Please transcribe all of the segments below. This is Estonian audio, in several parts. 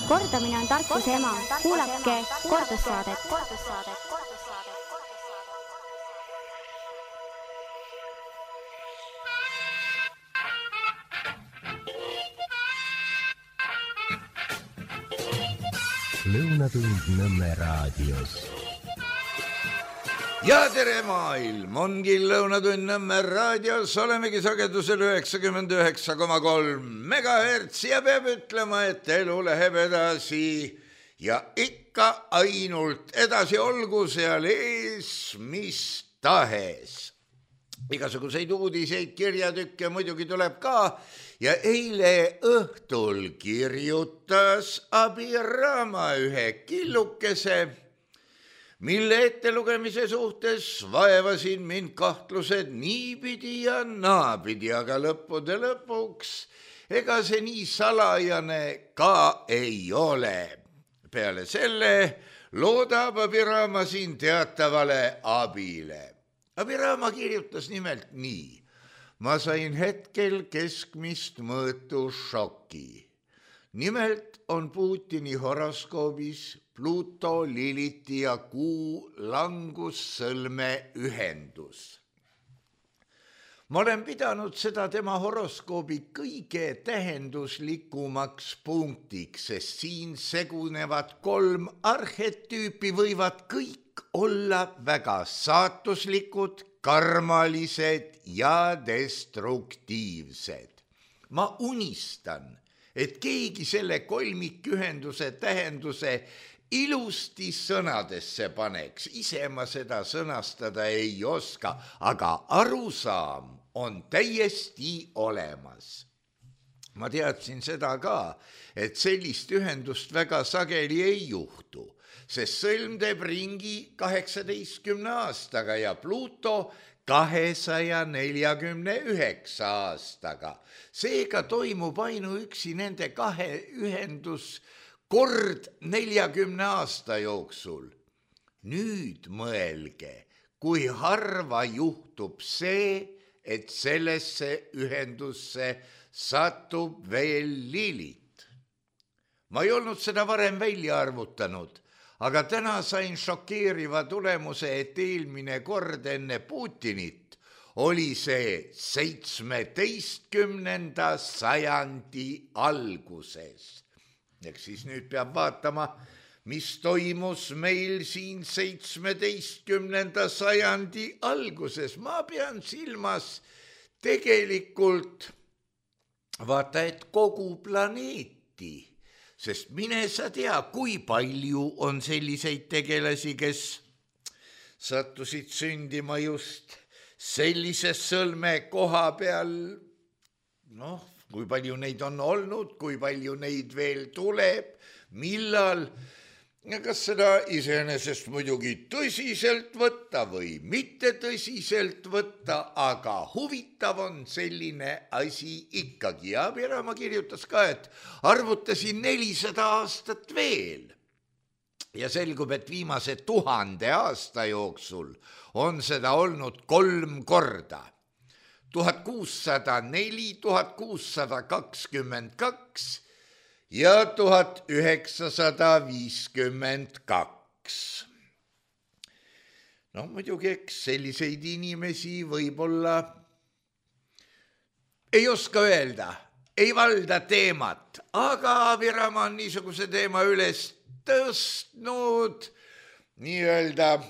Kordamine on tarkuse ema. Kuulake kordussaadet. Lõunatund Nõmme raadios. Ja tere maailm, ongi Lõunatund Nõmme raadios, olemegi sagedusel 99,3 megahertsi ja peab ütlema, et elu läheb edasi ja ikka ainult edasi, olgu seal ees mis tahes. Igasuguseid uudiseid, kirjatükke muidugi tuleb ka ja eile õhtul kirjutas Abiraama ühe killukese, mille ettelugemise suhtes vaevasin mind kahtlused niipidi ja naapidi, aga lõppude lõpuks ega see nii salajane ka ei ole. Peale selle loodab Abiraama siin teatavale abile. Abiraama kirjutas nimelt nii. Ma sain hetkel keskmist mõõtu šoki. Nimelt on Putini horoskoobis Pluto, Liliti ja Kuu langussõlme ühendus. Ma olen pidanud seda tema horoskoobi kõige tähenduslikumaks punktiks, sest siin segunevad 3 arhetüüpi võivad kõik olla väga saatuslikud, karmalised ja destruktiivsed. Ma unistan, et keegi selle kolmikühenduse tähenduse ilusti sõnadesse paneks. Ise ma seda sõnastada ei oska, aga arusaam on täiesti olemas. Ma teadsin seda ka, et sellist ühendust väga sageli ei juhtu, sest sõlm teeb ringi 18 aastaga ja Pluto 249 aastaga. Seega toimub ainuüksi nende 2 ühendus kord 40 aasta jooksul. Nüüd mõelge, kui harva juhtub see, et sellesse ühendusse satub veel Lilit. Ma ei olnud seda varem välja arvutanud, aga täna sain šokeeriva tulemuse, et eelmine kord enne Putinit oli see 17. sajandi alguses. Eks siis nüüd peab vaatama, mis toimus meil siin 17. sajandi alguses. Ma pean silmas tegelikult vaata, et kogu planeeti. Sest mine sa tea, kui palju on selliseid tegelasi, kes sattusid sündima just sellises sõlme koha peal. Kui palju neid on olnud, kui palju neid veel tuleb, millal. Kas seda iseenesest muidugi tõsiselt võtta või mitte tõsiselt võtta, aga huvitav on selline asi ikkagi. Ja Abiraama kirjutas ka, et arvutasin 400 aastat veel. Ja selgub, et viimase 1000 aasta jooksul on seda olnud 3 korda. 1604, 1622 ja 1952. Muidugi eks selliseid inimesi võib-olla ei oska öelda, ei valda teemat, aga Abiraama on niisuguse teema üles tõstnud, nii-öelda,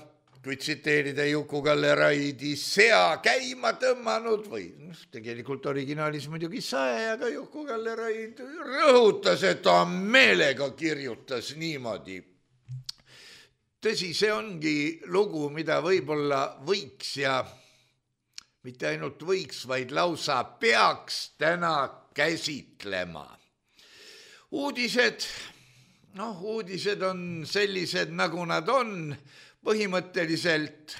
kui tsiteerida Juku-Kalle Raidi, sea käima tõmmanud või tegelikult originaalis muidugi sae, aga Juku-Kalle Raid rõhutas, et ta meelega kirjutas niimoodi. Tõsi, see ongi lugu, mida võib-olla võiks ja mitte ainult võiks, vaid lausa peaks täna käsitlema. Uudised on sellised, nagu nad on. Põhimõtteliselt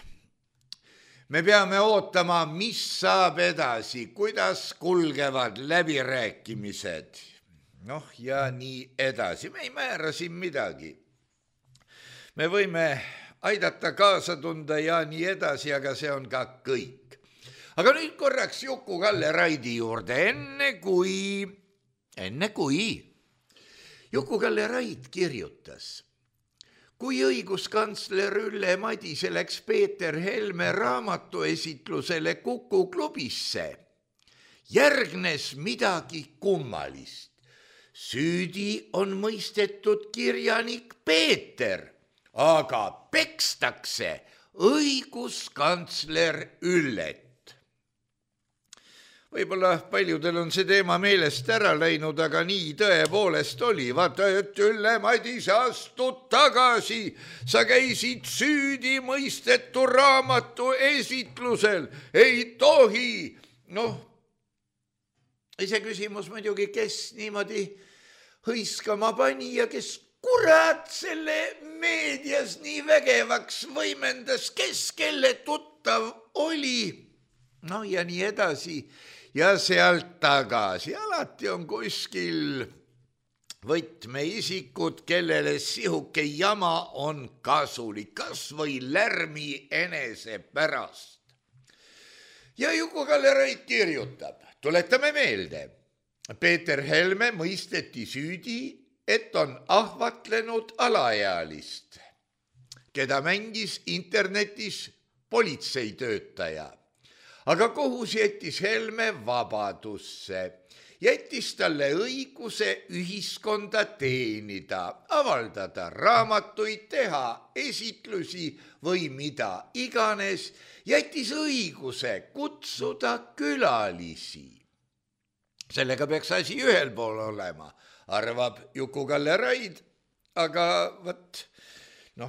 me peame ootama, mis saab edasi, kuidas kulgevad läbirääkimised. Ja nii edasi. Me ei määra siin midagi. Me võime aidata kaasa tunda ja nii edasi, aga see on ka kõik. Aga nüüd korraks Juku-Kalle Raidi juurde, enne kui Juku-Kalle Raid kirjutas: kui õiguskantsler Ülle Madise läks Peeter Helme raamatuesitlusele Kuku klubisse, järgnes midagi kummalist. Süüdi on mõistetud kirjanik Peeter, aga pekstakse õiguskantsler Üllet. Võib-olla paljudel on see teema meelest ära läinud, aga nii tõepoolest oli. Vaata, et Ülle Madise, astud tagasi, sa käisid süüdi mõistetu raamatu esitlusel, ei tohi. Ise küsimus muidugi, kes niimoodi hõiskama pani ja kes kurat selle meedias nii vägevaks võimendas, kes kelle tuttav oli. Ja nii edasi. Ja sealt tagasi. Alati on kuskil võtmeisikud, kellele sihuke jama on kasulik, kas või lärmi enese pärast. Ja Juku-Kalle Raid kirjutab, tuletame meelde, Peeter Helme mõisteti süüdi, et on ahvatlenud alaealist, keda mängis internetis politseitöötaja. Aga kohus jättis Helme vabadusse, jättis talle õiguse ühiskonda teenida, avaldada raamatuid, teha esitlusi või mida iganes, jättis õiguse kutsuda külalisi. Sellega peaks asi ühel pool olema, arvab Juku-Kalle Raid, aga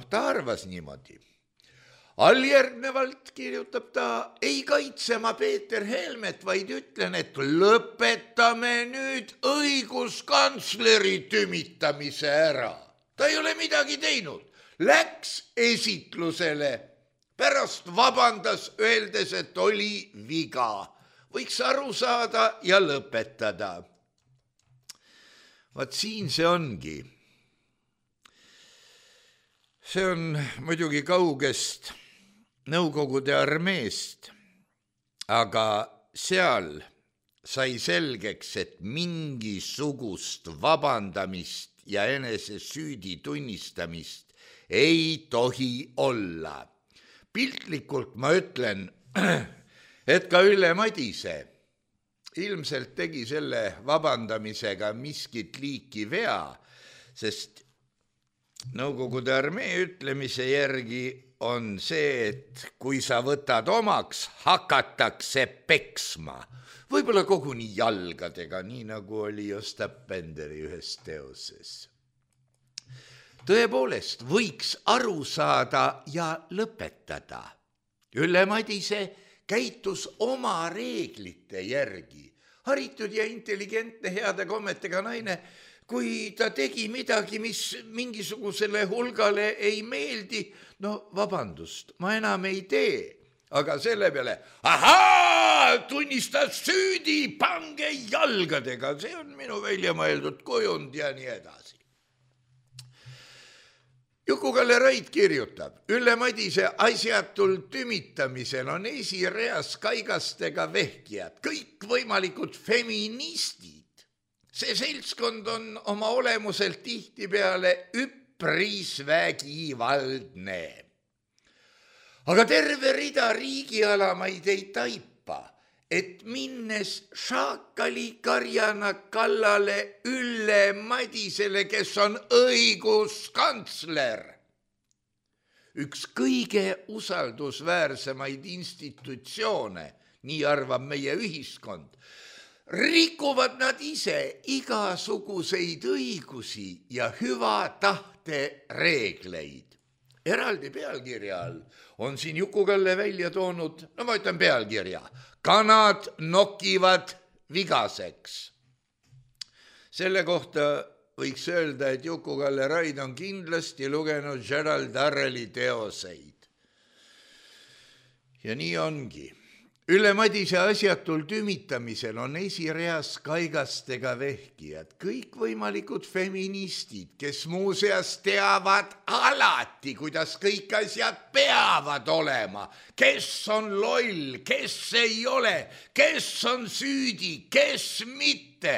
ta arvas niimoodi. Alljärgnevalt kirjutab ta, ei kaitse ma Peeter Helmet, vaid ütlen, et lõpetame nüüd õiguskantsleri tümitamise ära. Ta ei ole midagi teinud. Läks esitlusele, pärast vabandas, öeldes, et oli viga. Võiks aru saada ja lõpetada. Vaat siin see ongi. See on muidugi kaugest Nõukogude armeest, aga seal sai selgeks, et mingisugust vabandamist ja enese süüdi tunnistamist ei tohi olla. Piltlikult ma ütlen, et ka Ülle Madise ilmselt tegi selle vabandamisega miskit liiki vea, sest Nõukogude armee ütlemise järgi on see, et kui sa võtad omaks, hakatakse peksma. Võib-olla koguni jalgadega, nii nagu oli Ostap Benderi ühes teoses. Tõepoolest, võiks aru saada ja lõpetada. Ülle Madise käitus oma reeglite järgi. Haritud ja intelligentne, heade kommetega naine, kui ta tegi midagi, mis mingisugusele hulgale ei meeldi, vabandust, ma enam ei tee. Aga selle peale, tunnistas süüdi, pange jalgadega, see on minu välja mõeldud kujund ja nii edasi. Juku-Kalle Raid kirjutab, Ülle Madise asjatul tümitamisel on esireas kaigastega vehkijad, kõik võimalikud feministid. See seltskond on oma olemuselt tihtipeale üpris vägivaldne. Aga terve rida riigialamaid ei taipa, et minnes šaakalikarjana kallale Ülle Madisele, kes on õiguskantsler, üks kõige usaldusväärsemaid institutsioone, nii arvab meie ühiskond, rikuvad nad ise igasuguseid õigusi ja hüva tahte reegleid. Eraldi pealkirja all on siin Juku-Kalle välja toonud, ma ütlen pealkirja, kanad nokivad vigaseks. Selle kohta võiks öelda, et Juku-Kalle Raid on kindlasti lugenud Gerald Darrelli teoseid. Ja nii ongi. Ülle Madise asjatul tümitamisel on esireas kaigastega vehkijad, kõikvõimalikud feministid, kes muuseas teavad alati, kuidas kõik asjad peavad olema, kes on loll, kes ei ole, kes on süüdi, kes mitte.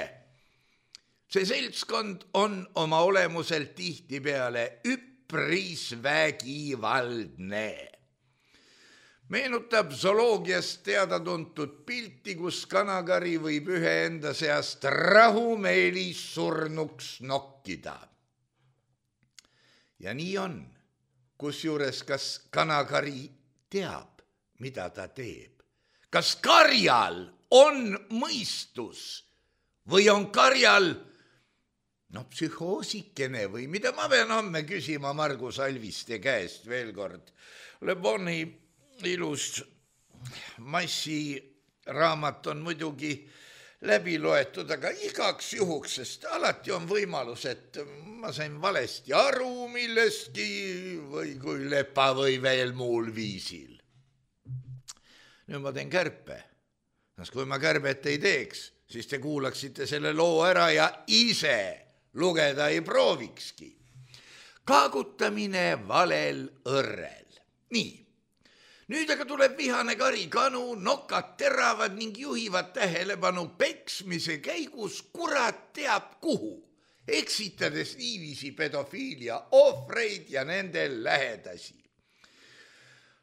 See seltskond on oma olemuselt tihtipeale üpris vägivaldne. Meenutab zooloogiast teada-tuntud pilti, kus kanakari võib ühe enda seast rahumeelis surnuks nokkida. Ja nii on, kusjuures kas kanakari teab, mida ta teeb. Kas karjal on mõistus või on karjal psühhoosikene või mida ma pean homme küsima Margus Alviste käest veel kord. Le Boni ilus massiraamat on muidugi läbi loetud, aga igaks juhuks, sest alati on võimalus, et ma sain valesti aru millestki või kui lepa või veel muul viisil. Nüüd ma teen kärpe. Kui ma kärbet ei teeks, siis te kuulaksite selle loo ära ja ise lugeda ei proovikski. Kaagutamine valel õrrel. Nii. Nüüd aga tuleb vihane kari kanu, nokad teravad ning juhivad tähelepanu peksmise käigus kurat teab kuhu, eksitades niiviisi pedofiilia ohvreid ja nende lähedasi.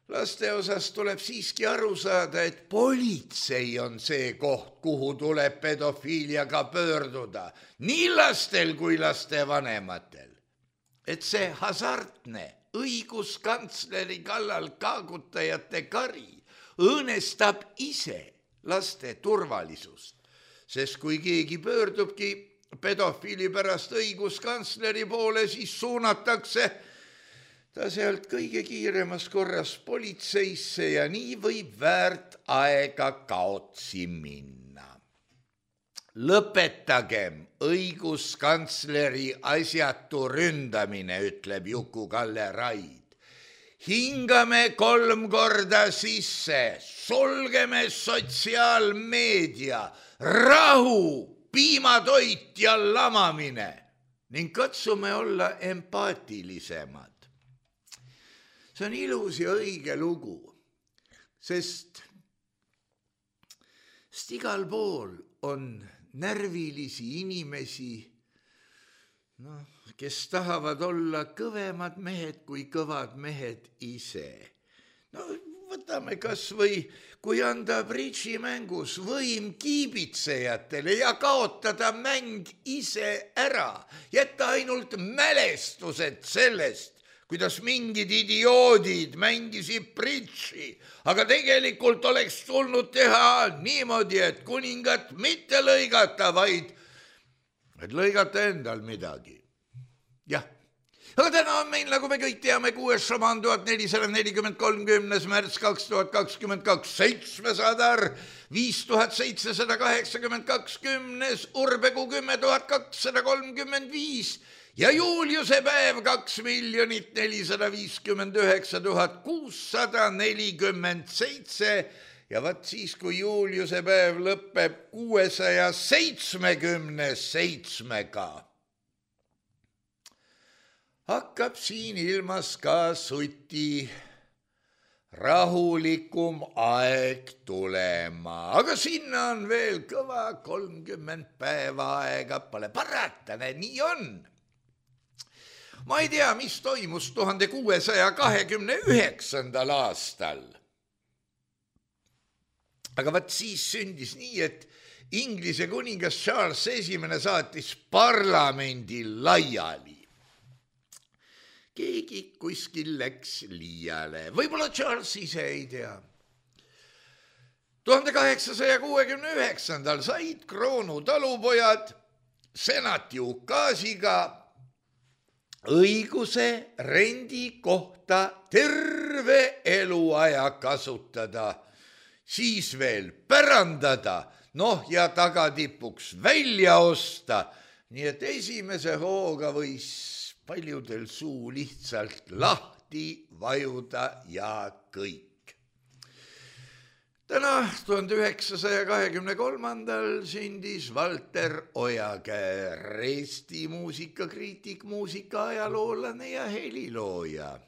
Laste osas tuleb siiski aru saada, et politsei on see koht, kuhu tuleb pedofiiliaga pöörduda, nii lastel kui laste vanematel. Et see hasartne õiguskantsleri kallal kaagutajate kari õõnestab ise laste turvalisust, sest kui keegi pöördubki pedofiili pärast õiguskantsleri poole, siis suunatakse ta sealt kõige kiiremas korras politseisse ja nii võib väärt aega kaotsi minna. Lõpetagem õiguskantsleri asjatu ründamine, ütleb Juku-Kalle Raid. Hingame 3 korda sisse, sulgeme sotsiaalmeedia, rahu, piimatoit ja lamamine ning katsume olla empaatilisemad. See on ilus ja õige lugu, sest igal pool on närvilisi inimesi, kes tahavad olla kõvemad mehed kui kõvad mehed ise. Võtame kas või, kui anda bridžimängus võim kiibitsejatele ja kaotada mäng ise ära, jätta ainult mälestused sellest, kuidas mingid idioodid mängisid bridži, aga tegelikult oleks tulnud teha niimoodi, et kuningat mitte lõigata, vaid et lõigata endal midagi. Jah, aga täna on meil, nagu me kõik teame, 6. šamaan 1443. märts 2022, 700 5782 10. urbekuu 10.235 ja Juuliuse päev 2 459 647 ja vaat siis, kui Juuliuse päev lõpeb 677-ga, hakkab siin ilmas ka suti rahulikum aeg tulema, aga sinna on veel kõva 30 päeva aega, pole parata, nii on. Ma ei tea, mis toimus 1629. aastal. Aga vaat siis sündis nii, et Inglise kuningas Charles I saatis parlamendi laiali. Keegi kuskil läks liiale, võib-olla Charles ise ei tea. 1869. said kroonu talupojad senati ukaasiga õiguse rendi kohta terve eluaja kasutada, siis veel pärandada, ja tagatipuks välja osta, nii et esimese hooga võis paljudel suu lihtsalt lahti vajuda ja kõik. Täna 1923. sündis Valter Ojakäär, Eesti muusikakriitik, muusikaaajaloolane ja helilooja.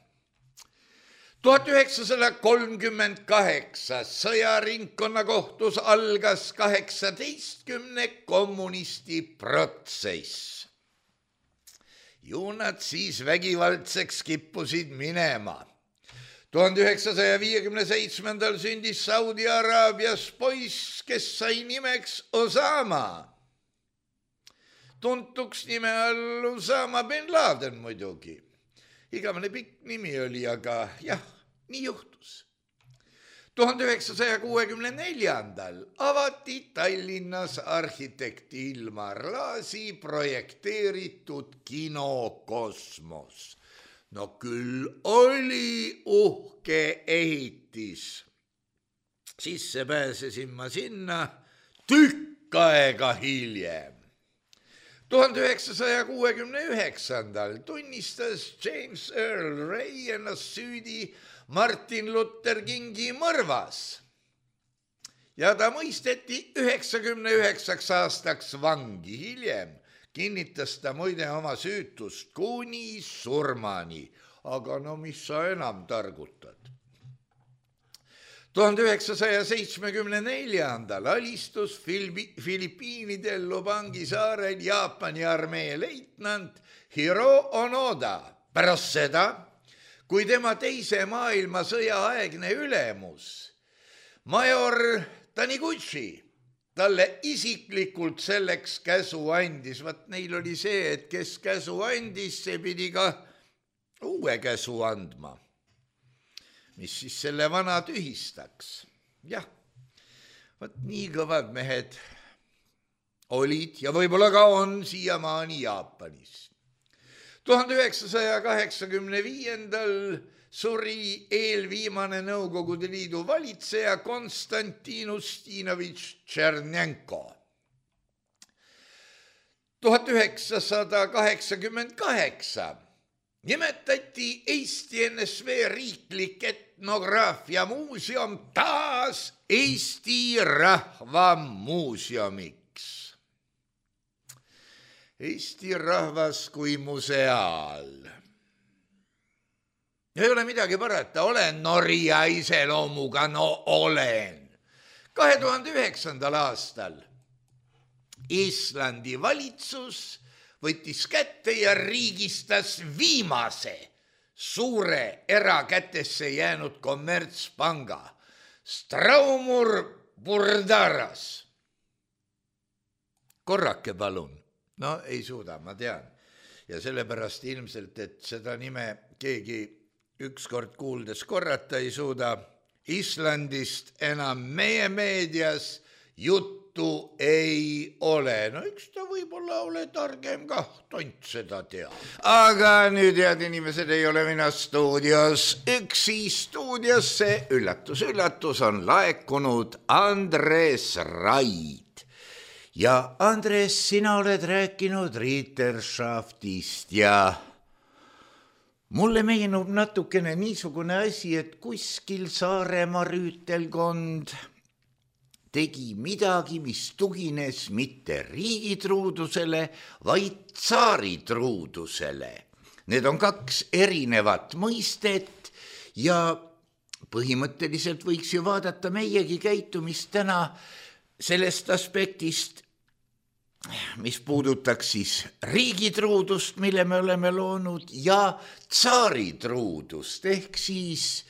1938 sõjaringkonnakohtus algas 18 kommunisti protsess. Ju nad siis vägivaldseks kippusid minema. 1957 sündis Saudi Araabias poiss, kes sai nimeks Osama. Tuntuks nime all Osama bin Laden muidugi. Igavene pikk nimi oli, aga jah, nii juhtus. 1964 avati Tallinnas arhitekti Ilmar Laasi projekteeritud kino Kosmos. No küll oli uhke ehitis. Sisse pääsesin ma sinna tükk aega hiljem. 1969 tunnistas James Earl Ray ennast süüdi Martin Luther Kingi mõrvas ja ta mõisteti 99 aastaks vangi. Hiljem kinnitas ta muide oma süütust kuni surmani, aga no mis sa enam targutad. 1974 alistus Filipiinidel Lubangi saarel Jaapani armee leitnant Hiro Onoda pärast seda, kui tema teise maailmasõja aegne ülemus, major Taniguchi, talle isiklikult selleks käsu andis. Vat neil oli see, et kes käsu andis, see pidi ka uue käsu andma, mis siis selle vana tühistaks. Jah, vat nii kõvad mehed olid ja võib-olla ka on siiamaani Jaapanis. 1985 suri eelviimane Nõukogude Liidu valitseja Konstantin Ustinovitš Tšernenko. 1988 nimetati Eesti NSV riiklik etnograafia muuseum taas Eesti Rahva Muuseumiks. Eesti rahvas kui museaal. Ei ole midagi parata, olen Norja iseloomuga, no olen. 2009. aastal Islandi valitsus võttis kätte ja riigistas viimase suure erakätesse jäänud kommertspanga Straumur Burdaras. Korrake palun. No ei suuda, ma tean. Ja sellepärast ilmselt, et seda nime keegi ükskord kuuldes korrata ei suuda. Islandist enam meie meedias juttu ei ole. No üks ta võib-olla ole targem kah, tont seda teab. Aga nüüd head inimesed, ei ole mina stuudios. Üksi stuudiosse, üllatus, üllatus, on laekunud Andres Raid. Ja Andres, sina oled rääkinud Ritterschaftist ja mulle meenub natukene niisugune asi, et kuskil Saaremaa rüütelkond tegi midagi, mis tugines mitte riigitruudusele, vaid tsaaritruudusele. Need on kaks erinevat mõistet ja põhimõtteliselt võiks ju vaadata meiegi käitumist täna sellest aspektist, mis puudutaks siis riigitruudust, mille me oleme loonud, ja tsaaritruudust ehk siis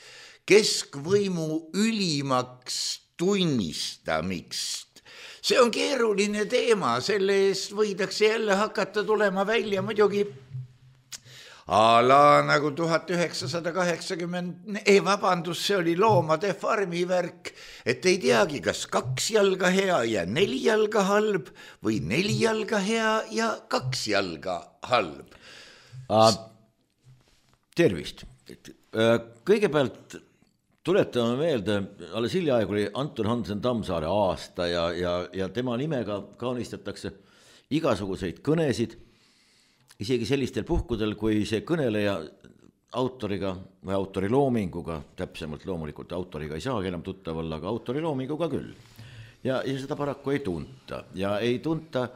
keskvõimu ülimaks tunnistamist. See on keeruline teema, selle eest võidakse jälle hakata tulema välja muidugi ala nagu 1980, see oli Loomade farmi värk, et ei teagi, kas 2 jalga hea ja 4 jalga halb või 4 jalga hea ja 2 jalga halb. Tervist. Kõigepealt tuletame meelde, alles hiljaaegu oli Anton Hansen Tammsaare aasta ja tema nimega kaunistatakse igasuguseid kõnesid, isegi sellistel puhkudel, kui see kõneleja autoriga või autoriloominguga, täpsemalt loomulikult autoriga ei saagi enam tuttav olla, aga autoriloominguga küll. Ja seda paraku ei tunta. Ja ei tunta,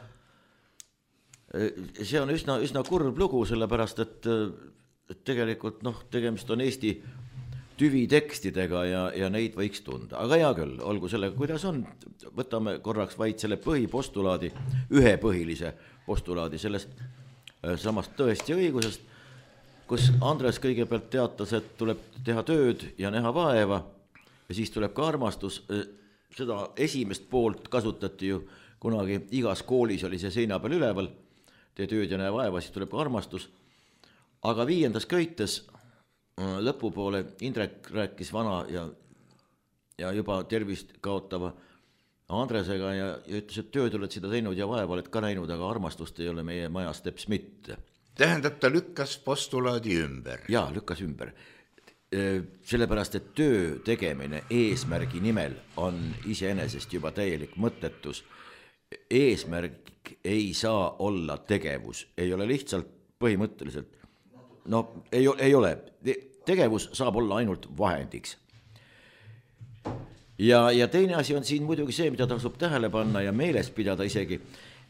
see on üsna kurb lugu, sellepärast, et tegelikult tegemist on Eesti tüvitekstidega ja neid võiks tunda, aga hea küll, olgu sellega, kuidas on, võtame korraks vaid selle põhipostulaadi, ühe põhilise postulaadi sellest samast tõest ja õigusest, kus Andres kõigepealt teatas, et tuleb teha tööd ja näha vaeva ja siis tuleb ka armastus, seda esimest poolt kasutati ju kunagi, igas koolis oli see seina peal üleval, tee tööd ja näe vaeva, siis tuleb ka armastus, aga 5. köites lõpupoole Indrek rääkis vana ja juba tervist kaotava Andresega ja ütles, et tööd oled seda teinud ja vaeva oled ka näinud, aga armastust ei ole meie majas teps mitte. Tähendab, ta lükkas postulaadi ümber. Jaa, lükkas ümber. Sellepärast, et töö tegemine eesmärgi nimel on iseenesest juba täielik mõttetus. Eesmärk ei saa olla tegevus, ei ole lihtsalt põhimõtteliselt. No ei ole, tegevus saab olla ainult vahendiks. Ja teine asi on siin muidugi see, mida tasub tähele panna ja meeles pidada isegi,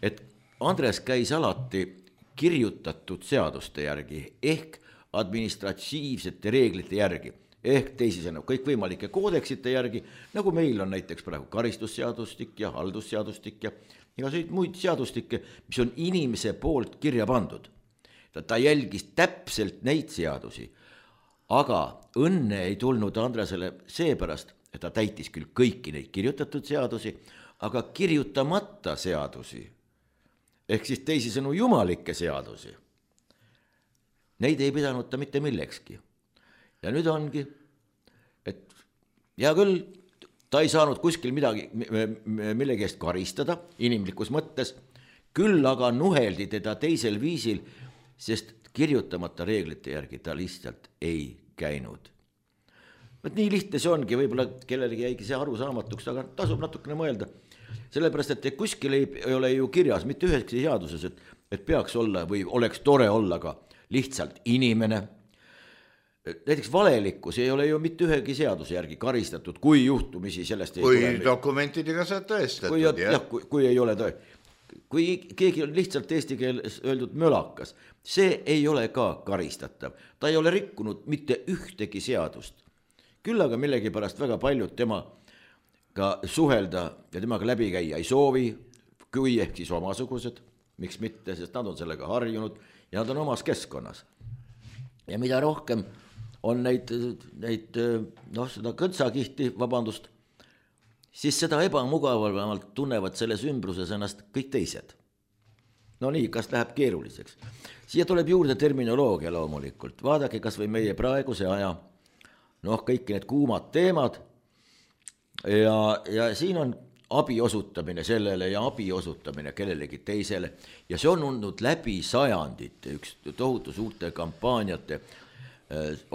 et Andres käis alati kirjutatud seaduste järgi ehk administratiivsete reeglite järgi ehk teisisõnu kõikvõimalike koodeksite järgi, nagu meil on näiteks praegu karistusseadustik ja haldusseadustik ja igasuguseid muid seadustikke, mis on inimese poolt kirja pandud. Ta jälgis täpselt neid seadusi, aga õnne ei tulnud Andresele seepärast, et ta täitis küll kõiki neid kirjutatud seadusi, aga kirjutamata seadusi, ehk siis teisisõnu jumalikke seadusi, neid ei pidanud ta mitte millekski. Ja nüüd ongi, et hea küll, ta ei saanud kuskil midagi, millegi eest karistada inimlikus mõttes, küll aga nuheldi teda teisel viisil, sest kirjutamata reeglite järgi ta lihtsalt ei käinud. Nii lihtne see ongi, võib-olla kellelegi jäigi see arusaamatuks, aga tasub natukene mõelda. Sellepärast, et kuskil ei ole ju kirjas mitte üheski seaduses, et peaks olla või oleks tore olla ka lihtsalt inimene. Näiteks valelikkus ei ole ju mitte ühegi seaduse järgi karistatud, kui juhtumisi sellest ei kui tule. Kui dokumentidega saad tõestatud. Kui ei ole tõe. Kui keegi on lihtsalt eesti keeles öeldud mölakas, see ei ole ka karistatav. Ta ei ole rikkunud mitte ühtegi seadust. Küll aga millegi pärast väga paljud temaga suhelda ja temaga läbi käia ei soovi, kui ehk siis omasugused, miks mitte, sest nad on sellega harjunud ja nad on omas keskkonnas. Ja mida rohkem on neid seda kõntsakihti, vabandust, siis seda ebamugavamalt tunnevad selles ümbruses ennast kõik teised. No nii, kas läheb keeruliseks? Siia tuleb juurde terminoloogia loomulikult. Vaadake kas või meie praeguse aja, kõik need kuumad teemad ja siin on abi osutamine sellele ja abi osutamine kellelegi teisele ja see on olnud läbi sajandite üks tohutu suurte kampaaniate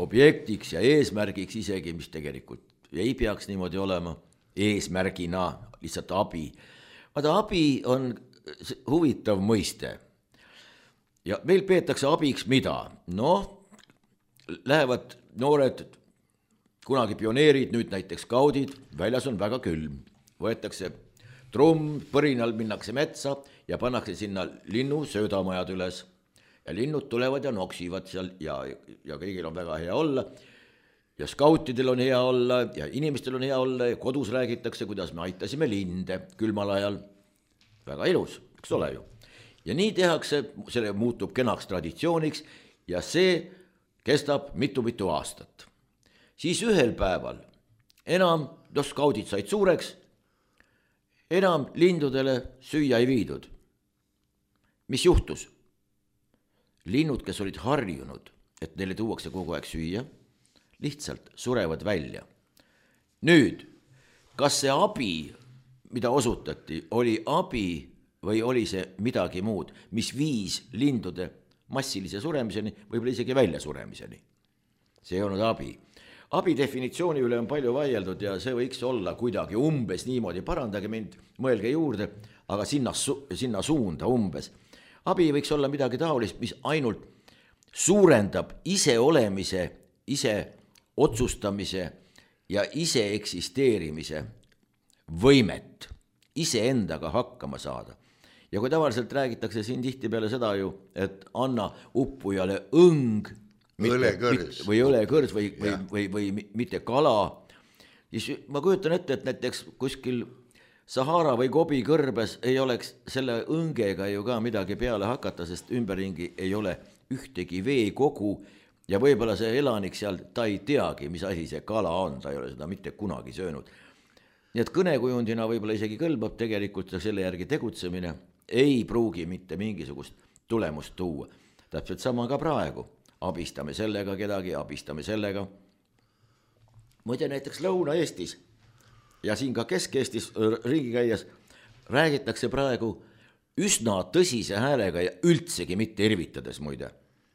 objektiks ja eesmärgiks isegi, mis tegelikult ei peaks niimoodi olema eesmärgina, lihtsalt abi. Vaata, abi on huvitav mõiste ja meil peetakse abiks mida? Lähevad noored kunagi pioneerid, nüüd näiteks skaudid, väljas on väga külm, võetakse trumm, põrinal minnakse metsa ja pannakse sinna linnu söödamajad üles ja linnud tulevad ja noksivad seal ja kõigil on väga hea olla ja skautidel on hea olla ja inimestel on hea olla ja kodus räägitakse, kuidas me aitasime linde külmal ajal. Väga ilus, eks ole ju. Ja nii tehakse, selle muutub kenaks traditsiooniks ja see kestab mitu aastat. Siis ühel päeval enam, skaudid said suureks, enam lindudele süüa ei viidud. Mis juhtus? Linnud, kes olid harjunud, et neile tuuakse kogu aeg süüa, lihtsalt surevad välja. Nüüd, kas see abi, mida osutati, oli abi või oli see midagi muud, mis viis lindude massilise suremiseni, võib-olla isegi välja suremiseni? See ei olnud abi. Abi definitsiooni üle on palju vaieldud ja see võiks olla kuidagi umbes niimoodi, parandage mind, mõelge juurde, aga sinna suunda umbes. Abi võiks olla midagi taolist, mis ainult suurendab ise olemise, ise otsustamise ja ise eksisteerimise võimet, ise endaga hakkama saada. Ja kui tavaliselt räägitakse siin tihtipeale seda ju, et anna uppujale õng, õlekõrs. või õlekõrs või mitte kala, siis ma kujutan ette, et näiteks kuskil Sahara või Gobi kõrbes ei oleks selle õngega ju ka midagi peale hakata, sest ümberringi ei ole ühtegi veekogu ja võib-olla see elanik seal, ta ei teagi, mis asi see kala on, ta ei ole seda mitte kunagi söönud. Nii et kõnekujundina võib-olla isegi kõlbab tegelikult selle järgi tegutsemine, ei pruugi mitte mingisugust tulemust tuua. Täpselt sama ka praegu, abistame sellega kedagi, abistame sellega. Muide näiteks Lõuna-Eestis ja siin ka Kesk-Eestis ringi käies räägitakse praegu üsna tõsise häälega ja üldsegi mitte irvitades muide.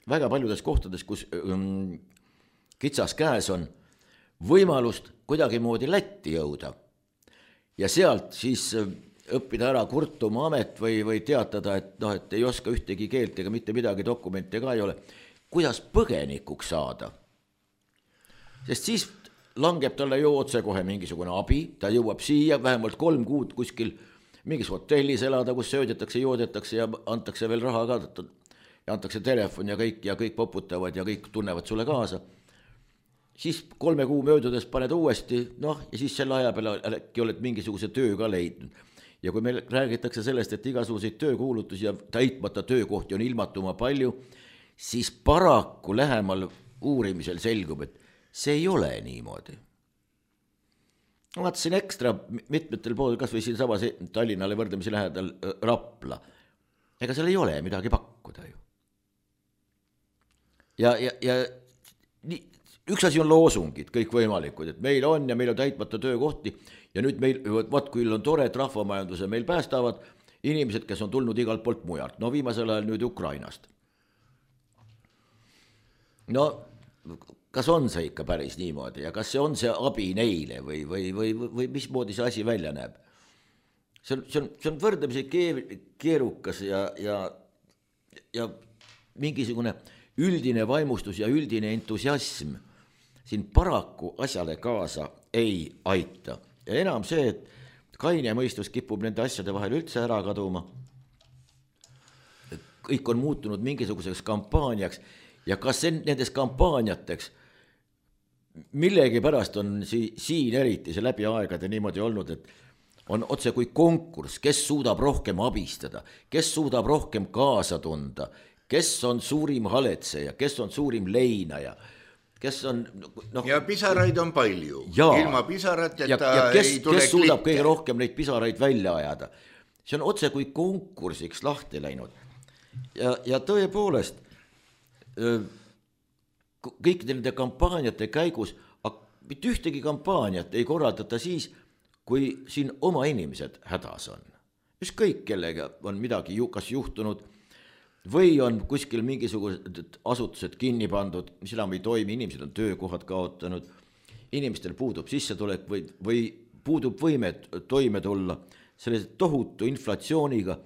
Väga paljudes kohtades, kus kitsas käes on võimalust kuidagi moodi Lätti jõuda ja sealt siis õppida ära kurtuma amet või teatada, et ei oska ühtegi keelt ega mitte midagi, dokumente ka ei ole. Kuidas põgenikuks saada? Sest siis langeb talle ju otse kohe mingisugune abi, ta jõuab siia vähemalt 3 kuud kuskil mingis hotellis elada, kus söödetakse, joodetakse ja antakse veel raha ka, ja antakse telefon ja kõik poputavad ja kõik tunnevad sulle kaasa. Siis 3 kuu möödudes paned uuesti, ja siis selle aja peale äkki oled mingisuguse töö ka leidnud. Ja kui meil räägitakse sellest, et igasuguseid töökuulutusi ja täitmata töökohti on ilmatuma palju, siis paraku lähemal uurimisel selgub, et see ei ole niimoodi. Ma vaatasin ekstra mitmetel pool, kas või siin sama Tallinnale võrdlemisi lähedal Rapla. Ega seal ei ole midagi pakkuda ju. Ja üks asi on loosungid, kõik võimalikud, et meil on ja meil on täitmata töökohti ja nüüd meil, kui on tore, et rahvamajanduse meil päästavad inimesed, kes on tulnud igalt poolt mujalt. Viimasel ajal nüüd Ukrainast. Kas on see ikka päris niimoodi ja kas see on see abi neile või mismoodi see asi välja näeb? See on võrdlemisi keerukas ja mingisugune üldine vaimustus ja üldine entusiasm siin paraku asjale kaasa ei aita. Ja enam see, et kaine mõistus kipub nende asjade vahel üldse ära kaduma. Kõik on muutunud mingisuguseks kampaaniaks ja kas nendes kampaaniateks millegi pärast on siin eriti see läbi aegade niimoodi olnud, et on otse kui konkurss, kes suudab rohkem abistada, kes suudab rohkem kaasa tunda, kes on suurim haletseja, kes on suurim leinaja, kes on... ja pisaraid on palju, ilma pisarateta ei tule kes suudab kõige rohkem neid pisaraid välja ajada. See on otse kui konkursiks lahti läinud. Ja tõepoolest... kõikide nende kampaaniate käigus, mitte ühtegi kampaaniat ei korraldata siis, kui siin oma inimesed hädas on. Ükskõik kellega on midagi kas juhtunud või on kuskil mingisugused asutused kinni pandud, mis enam ei toimi, inimesed on töökohad kaotanud, inimestel puudub sissetulek või puudub võime toime tulla selle tohutu inflatsiooniga,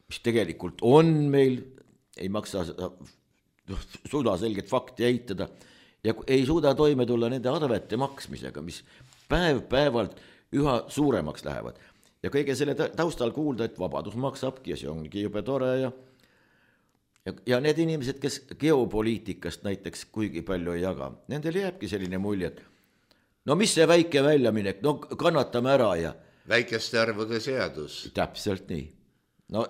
mis tegelikult on meil, ei maksa suuda selget fakti eitada ja ei suuda toime tulla nende arvete maksmisega, mis päev-päevalt üha suuremaks lähevad. Ja kõige selle taustal kuulda, et vabadus maksabki ja see ongi jube tore ja need inimesed, kes geopoliitikast näiteks kuigi palju ei jaga, nendel jääbki selline mulje, et mis see väike väljaminek, kannatame ära ja... Väikeste arvude seadus. Täpselt nii.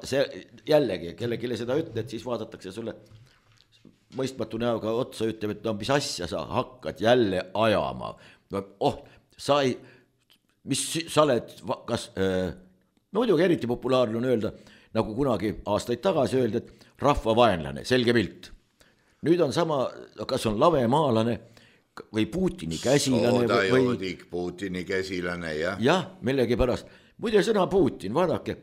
See jällegi, kellelegi seda ütled, siis vaadatakse sulle mõistmatu näoga otsa, ütleb, et mis asja sa hakkad jälle ajama. Mis sa oled, kas, muidugi eriti populaarne on öelda, nagu kunagi aastaid tagasi öelda, et rahvavaenlane, selge pilt. Nüüd on sama, kas on lavemaalane või Putini käsilane. Soodajoodik, Putini käsilane, jah. Jah, millegi pärast. Muide sõna Putin, vaadake,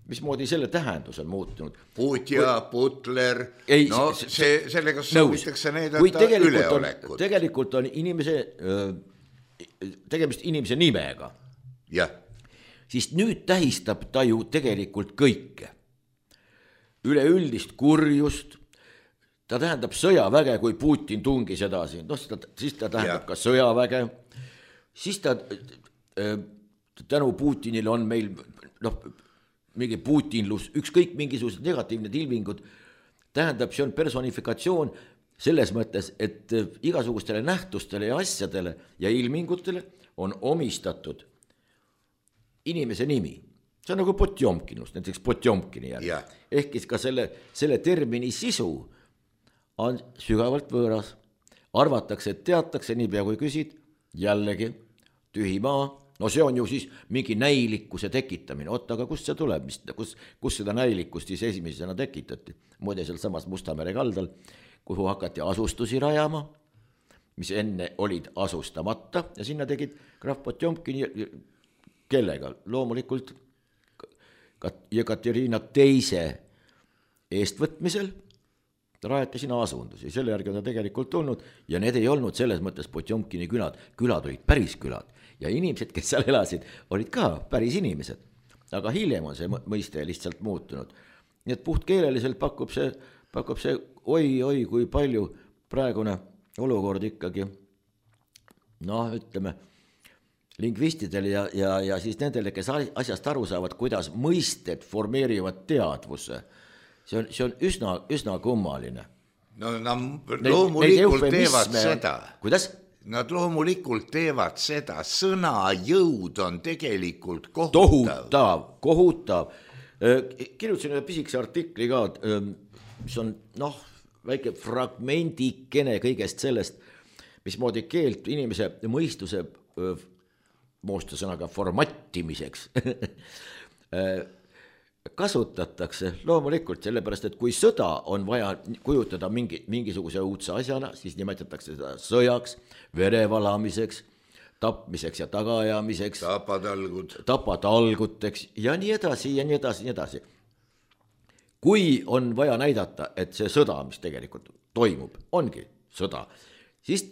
mismoodi selle tähendus on muutunud. Putja, Putler, sellega soovitakse näidata üleolekut. Tegelikult on tegemist inimese nimega. Jah. Siis nüüd tähistab ta ju tegelikult kõike. Üleüldist kurjust, ta tähendab sõjaväge, kui Putin tungis edasi, siis ta tähendab ka sõjaväge, siis ta tänu Putinile on meil mingi putinlus, ükskõik mingisugused negatiivned ilmingud, tähendab, see on personifikatsioon selles mõttes, et igasugustele nähtustele ja asjadele ja ilmingutele on omistatud inimese nimi. See on nagu Potjomkinust, näiteks Potjomkini järgi. Ehk ka selle termini sisu on sügavalt võõras. Arvatakse, et teatakse, niipea kui küsid, jällegi tühi maa. No see on ju siis mingi näilikkuse tekitamine. Oota, aga kust see tuleb? Kus seda näilikkust siis esimesena tekitati? Muide seal samas Mustamere kaldal, kuhu hakati asustusi rajama, mis enne olid asustamata ja sinna tegid krahv Potjomkini kellega? Loomulikult Jekaterina teise eestvõtmisel rajati sinna asundusi, selle järgi on ta tegelikult tulnud ja need ei olnud selles mõttes Potjomkini külad olid päris külad ja inimesed, kes seal elasid, olid ka päris inimesed, aga hiljem on see mõiste lihtsalt muutunud. Nii et puhtkeeleliselt pakub see oi, kui palju praegune olukord ikkagi, ütleme, lingvistidele ja siis nendele, kes asjast aru saavad, kuidas mõisted formeerivad teadvuse. See on üsna kummaline. No loomulikult teevad seda. Kuidas? Nad loomulikult teevad seda. Sõna jõud on tegelikult kohutav. Kohutav. Kirjutasin ühe pisikese artikli ka, mis on väike fragmendikene kõigest sellest, mismoodi keelt inimese mõistuse moosta sõnaga formattimiseks kasutatakse loomulikult sellepärast, et kui sõda on vaja kujutada mingisuguse uudse asjana, siis nimetatakse seda sõjaks, verevalamiseks, tapmiseks ja tagaajamiseks, tapatalguteks ja nii edasi. Kui on vaja näidata, et see sõda, mis tegelikult toimub, ongi sõda, siis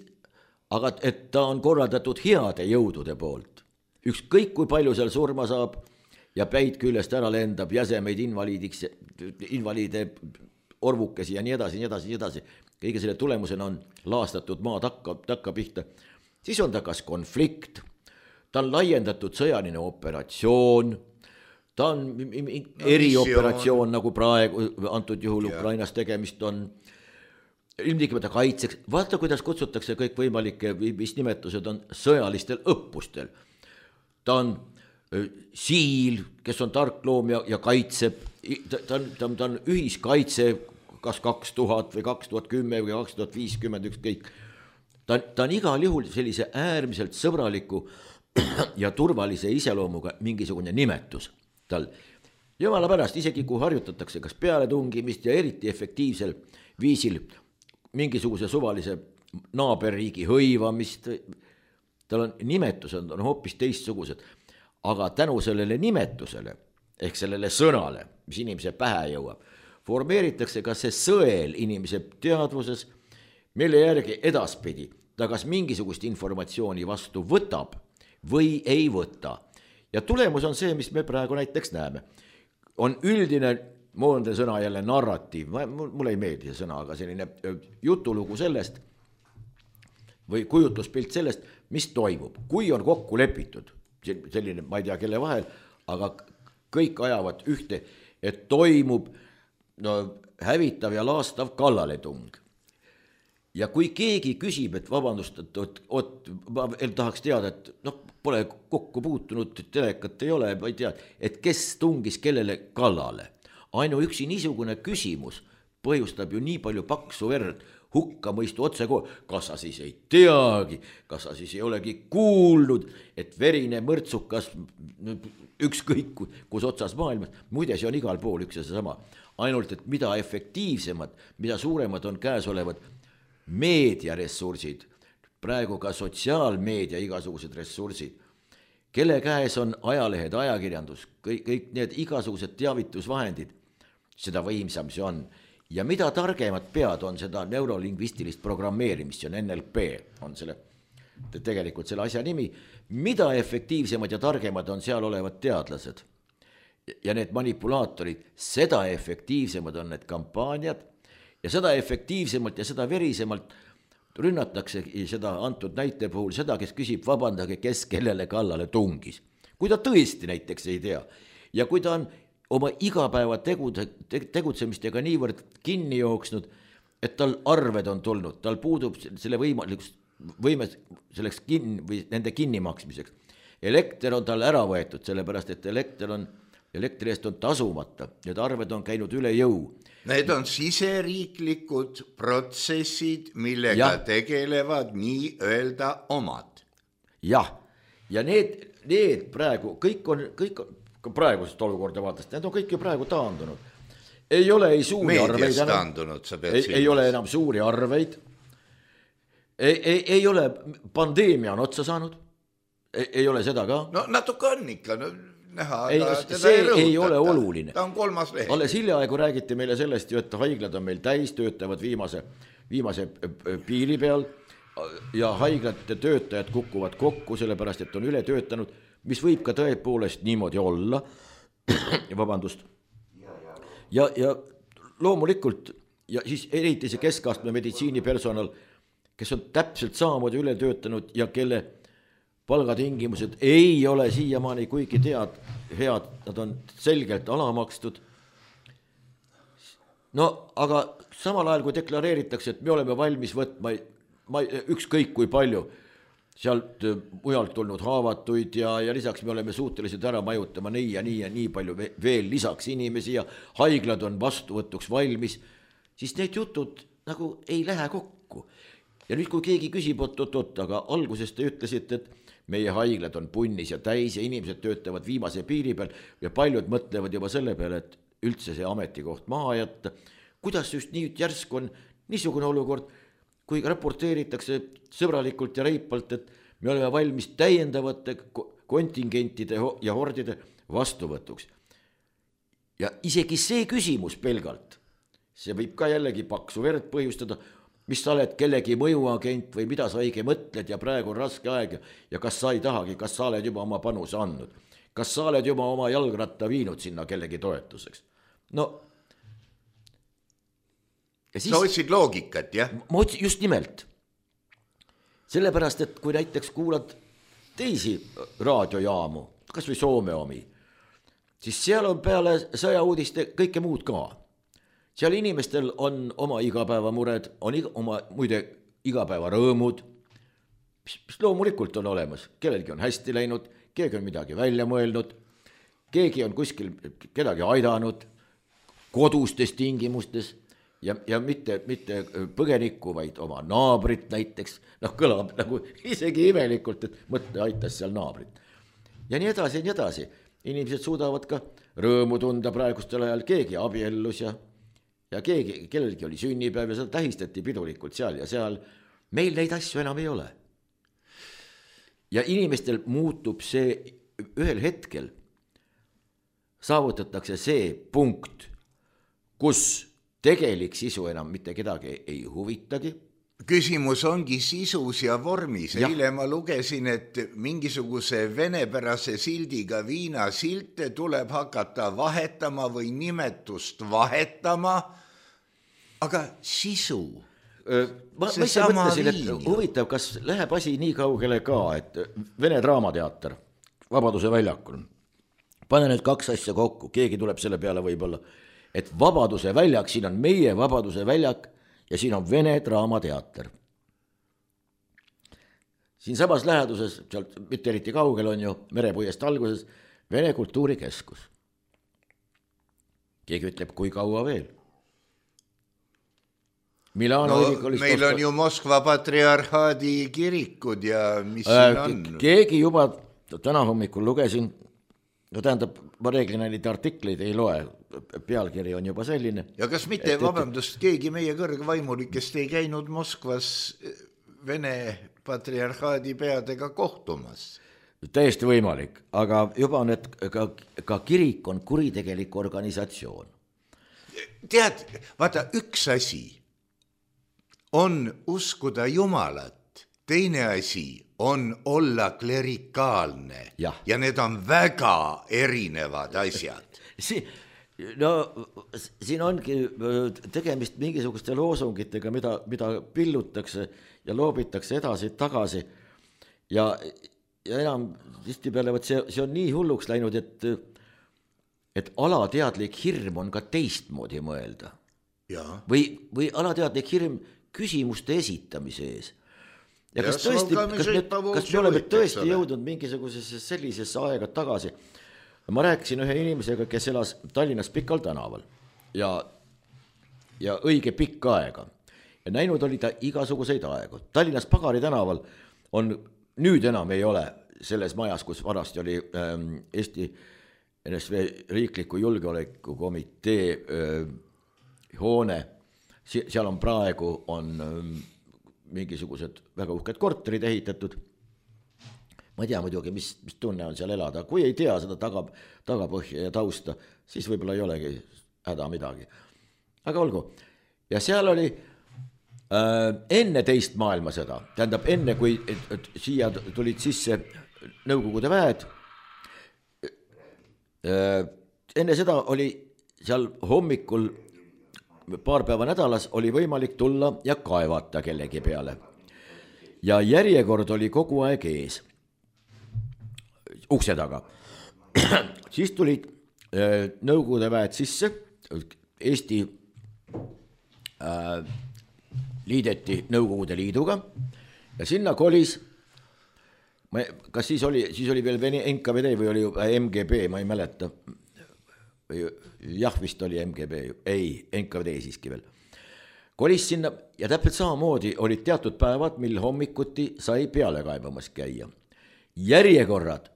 aga et ta on korraldatud heade jõudude poolt, ükskõik kui palju seal surma saab, ja päid küljest ära lendab, jäsemeid invaliide orvukesi ja nii edasi. Kõige selle tulemusena on laastatud maa takka pihta. Siis on ta kas konflikt, ta on laiendatud sõjaline operatsioon, ta on erioperatsioon, nagu praegu antud juhul Ukrainas tegemist on, ilmtingimata kaitseks. Vaata, kuidas kutsutakse kõik võimalikke, mis nimetused on sõjalistel õppustel. Ta on siil, kes on tarkloom ja kaitseb, ta on ühiskaitse, kas 2000 või 2010 või 2050, ükskõik. Ta on igal juhul sellise äärmiselt sõbraliku ja turvalise iseloomuga mingisugune nimetus tal. Jumala pärast, isegi kui harjutatakse kas pealetungimist ja eriti efektiivsel viisil mingisuguse suvalise naaberriigi hõivamist, tal on nimetused on hoopis teistsugused. Aga tänu sellele nimetusele, ehk sellele sõnale, mis inimese pähe jõuab, formeeritakse ka see sõel inimese teadvuses, mille järgi edaspidi ta kas mingisugust informatsiooni vastu võtab või ei võta. Ja tulemus on see, mis me praegu näiteks näeme. On üldine, moodne sõna jälle narratiiv, mulle ei meeldi see sõna, aga selline jutulugu sellest või kujutluspilt sellest, mis toimub, kui on kokku lepitud. Selline, ma ei tea kelle vahel, aga kõik ajavad ühte, et toimub hävitav ja laastav kallaletung. Ja kui keegi küsib, et vabandust, ma tahaks teada, et pole kokku puutunud, telekat ei ole, ma ei tea, et kes tungis kellele kallale. Ainuüksi niisugune küsimus põhjustab ju nii palju paksu verd, hukka mõistu otse kas sa siis ei teagi, kas sa siis ei olegi kuulnud, et verine mõrtsukas ükskõik kus otsas maailmas, muide see on igal pool üks ja seesama, ainult et mida efektiivsemad, mida suuremad on käesolevad meediaressursid, praegu ka sotsiaalmeedia igasugused ressursid, kelle käes on ajalehed, ajakirjandus, kõik need igasugused teavitusvahendid, seda võimsam see on. Ja mida targemad pead on seda neurolingvistilist programmeerimist, see on NLP, on tegelikult selle asja nimi, mida efektiivsemad ja targemad on seal olevad teadlased ja need manipulaatorid, seda efektiivsemad on need kampaaniad ja seda efektiivsemalt ja seda verisemalt rünnatakse seda antud näite puhul seda, kes küsib, vabandage, kes kellele kallale tungis. Kui ta tõesti näiteks ei tea ja kui ta on oma igapäeva tegutsemistega niivõrd kinni jooksnud, et tal arved on tulnud, tal puudub selle võime selleks või nende kinnimaksmiseks. Elekter on tal ära võetud, sellepärast et elektri eest on tasumata, need arved on käinud üle jõu. Need on siseriiklikud protsessid, millega tegelevad nii öelda omad. Jah, ja need praegu, kõik on praegusest olukorda vaatast, need on kõik ju praegu taandunud. Ei ole ei suuri arveid taandunud, sa pead ei ole enam suuri arveid, ei ole, pandeemia on otsa saanud, ei ole seda ka. No natuke on ikka, näha, see ei ole oluline. Ta on 3. leht. Alles hiljaaegu räägiti meile sellest ju, et haiglad on meil täis, töötavad viimase piiri peal ja haiglate töötajad kukuvad kokku, sellepärast et on üle töötanud, mis võib ka tõepoolest niimoodi olla, vabandust. Ja loomulikult, ja siis eriti see keskastme meditsiinipersonal, kes on täpselt samamoodi üle töötanud ja kelle palgatingimused ei ole siiamaani kuigi head, nad on selgelt alamakstud. No aga samal ajal, kui deklareeritakse, et me oleme valmis võtma ükskõik kui palju sealt mujalt tulnud haavatuid ja lisaks me oleme suutelised ära majutama nii ja nii palju veel lisaks inimesi ja haiglad on vastuvõtuks valmis, siis need jutud nagu ei lähe kokku. Ja nüüd, kui keegi küsib, aga alguses te ütlesite, et meie haiglad on punnis ja täis ja inimesed töötavad viimase piiri peal ja paljud mõtlevad juba selle peale, et üldse see ametikoht maha jätta. Kuidas just nii järsku on niisugune olukord, kui raporteeritakse sõbralikult ja reipalt, et me oleme valmis täiendavate kontingentide ja hordide vastuvõtuks. Ja isegi see küsimus pelgalt, see võib ka jällegi paksu verd põhjustada, mis sa oled kellegi mõjuagent või mida sa õige mõtled ja praegu on raske aeg ja kas sa ei tahagi, kas sa oled juba oma panuse andnud, kas sa oled juba oma jalgratta viinud sinna kellegi toetuseks. No, sa otsid loogikat, jah? Ma otsin just nimelt. Sellepärast, et kui näiteks kuulad teisi raadiojaamu, kas või Soome omi, siis seal on peale sõjauudiste kõike muud ka. Seal inimestel on oma igapäevamured, on oma muide igapäevarõõmud, mis loomulikult on olemas. Kellelgi on hästi läinud, keegi on midagi välja mõelnud, keegi on kuskil kedagi aidanud kodustes tingimustes ja mitte põgenikku, vaid oma naabrit näiteks. Kõlab nagu isegi imelikult, et mõtle aitas seal naabrit. Ja nii edasi. Inimesed suudavad ka rõõmu tunda praegustel ajal, keegi abiellus ja kellelgi oli sünnipäev ja seda tähistati pidulikult seal ja seal. Meil neid asju enam ei ole. Ja inimestel muutub see ühel hetkel, saavutatakse see punkt, kus tegelik sisu enam mitte kedagi ei huvitagi. Küsimus ongi sisus ja vormis. Eile ma lugesin, et mingisuguse venepärase sildiga viinasilte tuleb hakata vahetama või nimetust vahetama, aga sisu. Ma ise mõtlesin, et huvitav, kas läheb asi nii kaugele ka, et Vene Draamateater Vabaduse väljakul. Pane need kaks asja kokku, keegi tuleb selle peale võib-olla, et Vabaduse väljak, siin on meie Vabaduse väljak ja siin on Vene Draamateater. Siin samas läheduses, sealt mitte eriti kaugel on ju Merepuiest alguses, Vene Kultuurikeskus. Keegi ütleb, kui kaua veel? Meil on ju Moskva patriarhaadi kirikud ja mis siin on? Keegi juba täna hommikul lugesin, tähendab, ma reeglina neid artikleid ei loe, pealkiri on juba selline. Ja kas mitte, vabandust, keegi meie kõrgvaimulikest ei käinud Moskvas Vene patriarhaadi peadega kohtumas? Täiesti võimalik, aga juba on, et ka kirik on kuritegelik organisatsioon. Tead, vaata, üks asi on uskuda Jumalat, teine asi on olla klerikaalne ja need on väga erinevad asjad. Siin ongi tegemist mingisuguste loosungitega, mida pillutakse ja loobitakse edasi-tagasi ja enam tihtipeale see on nii hulluks läinud, et alateadlik hirm on ka teistmoodi mõelda. või alateadlik hirm küsimuste esitamise ees. Ja kas tõesti, kas me oleme tõesti jõudnud mingisugusesse sellisesse aega tagasi? Ma rääkisin ühe inimesega, kes elas Tallinnas Pikal tänaval ja õige pikka aega. Ja näinud oli ta igasuguseid aegu. Tallinnas Pagari tänaval on, nüüd enam ei ole selles majas, kus varasti oli Eesti NSV riikliku julgeolekukomitee hoone, seal on praegu mingisugused väga uhked korterid ehitatud. Ma ei tea muidugi, mis tunne on seal elada. Kui ei tea seda tagapõhja ja tausta, siis võib-olla ei olegi häda midagi. Aga olgu. Ja seal oli enne teist maailmasõda, tähendab enne, kui siia tulid sisse Nõukogude väed, enne seda oli seal hommikul paar päeva nädalas oli võimalik tulla ja kaevata kellegi peale. Ja järjekord oli kogu aeg ees. Ukse taga. Siis tulid Nõukogude väed sisse, Eesti liideti Nõukogude Liiduga ja sinna kolis, kas siis oli veel NKVD või oli MGB, ma ei mäleta, jah, vist oli MGB, ei, NKVD siiski veel. Kolis sinna ja täpselt samamoodi olid teatud päevad, mil hommikuti sai peale kaebamas käia. Järjekorrad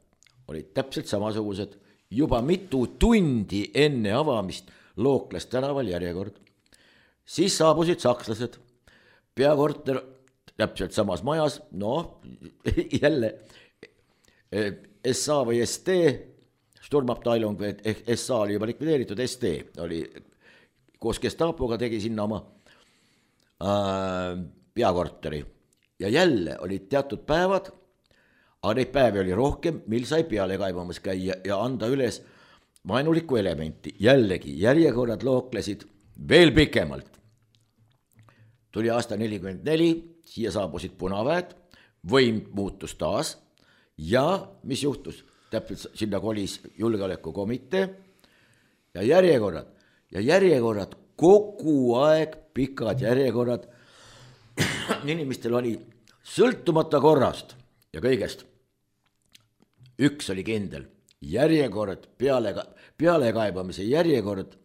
olid täpselt samasugused, juba mitu tundi enne avamist Looklas tänaval järjekord. Siis saabusid sakslased, peakorter täpselt samas majas, jälle SA või ST, Sturmabteilung või SA oli juba likvideeritud, ST oli koos Gestapoga tegi sinna oma peakorteri. Ja jälle olid teatud päevad, aga neid päevi oli rohkem, mil sai peale kaibamas käia ja anda üles vaenulikku elementi. Jällegi, järjekorrad looklesid veel pikemalt. Tuli aasta 44, siia saabusid punaväed, võim muutus taas ja mis juhtus? Täpselt sinna kolis julgeolekukomitee ja järjekorrad, kogu aeg pikad järjekorrad. Inimestel oli sõltumata korrast ja kõigest. Üks oli kindel, järjekord, pealekaibamise järjekord,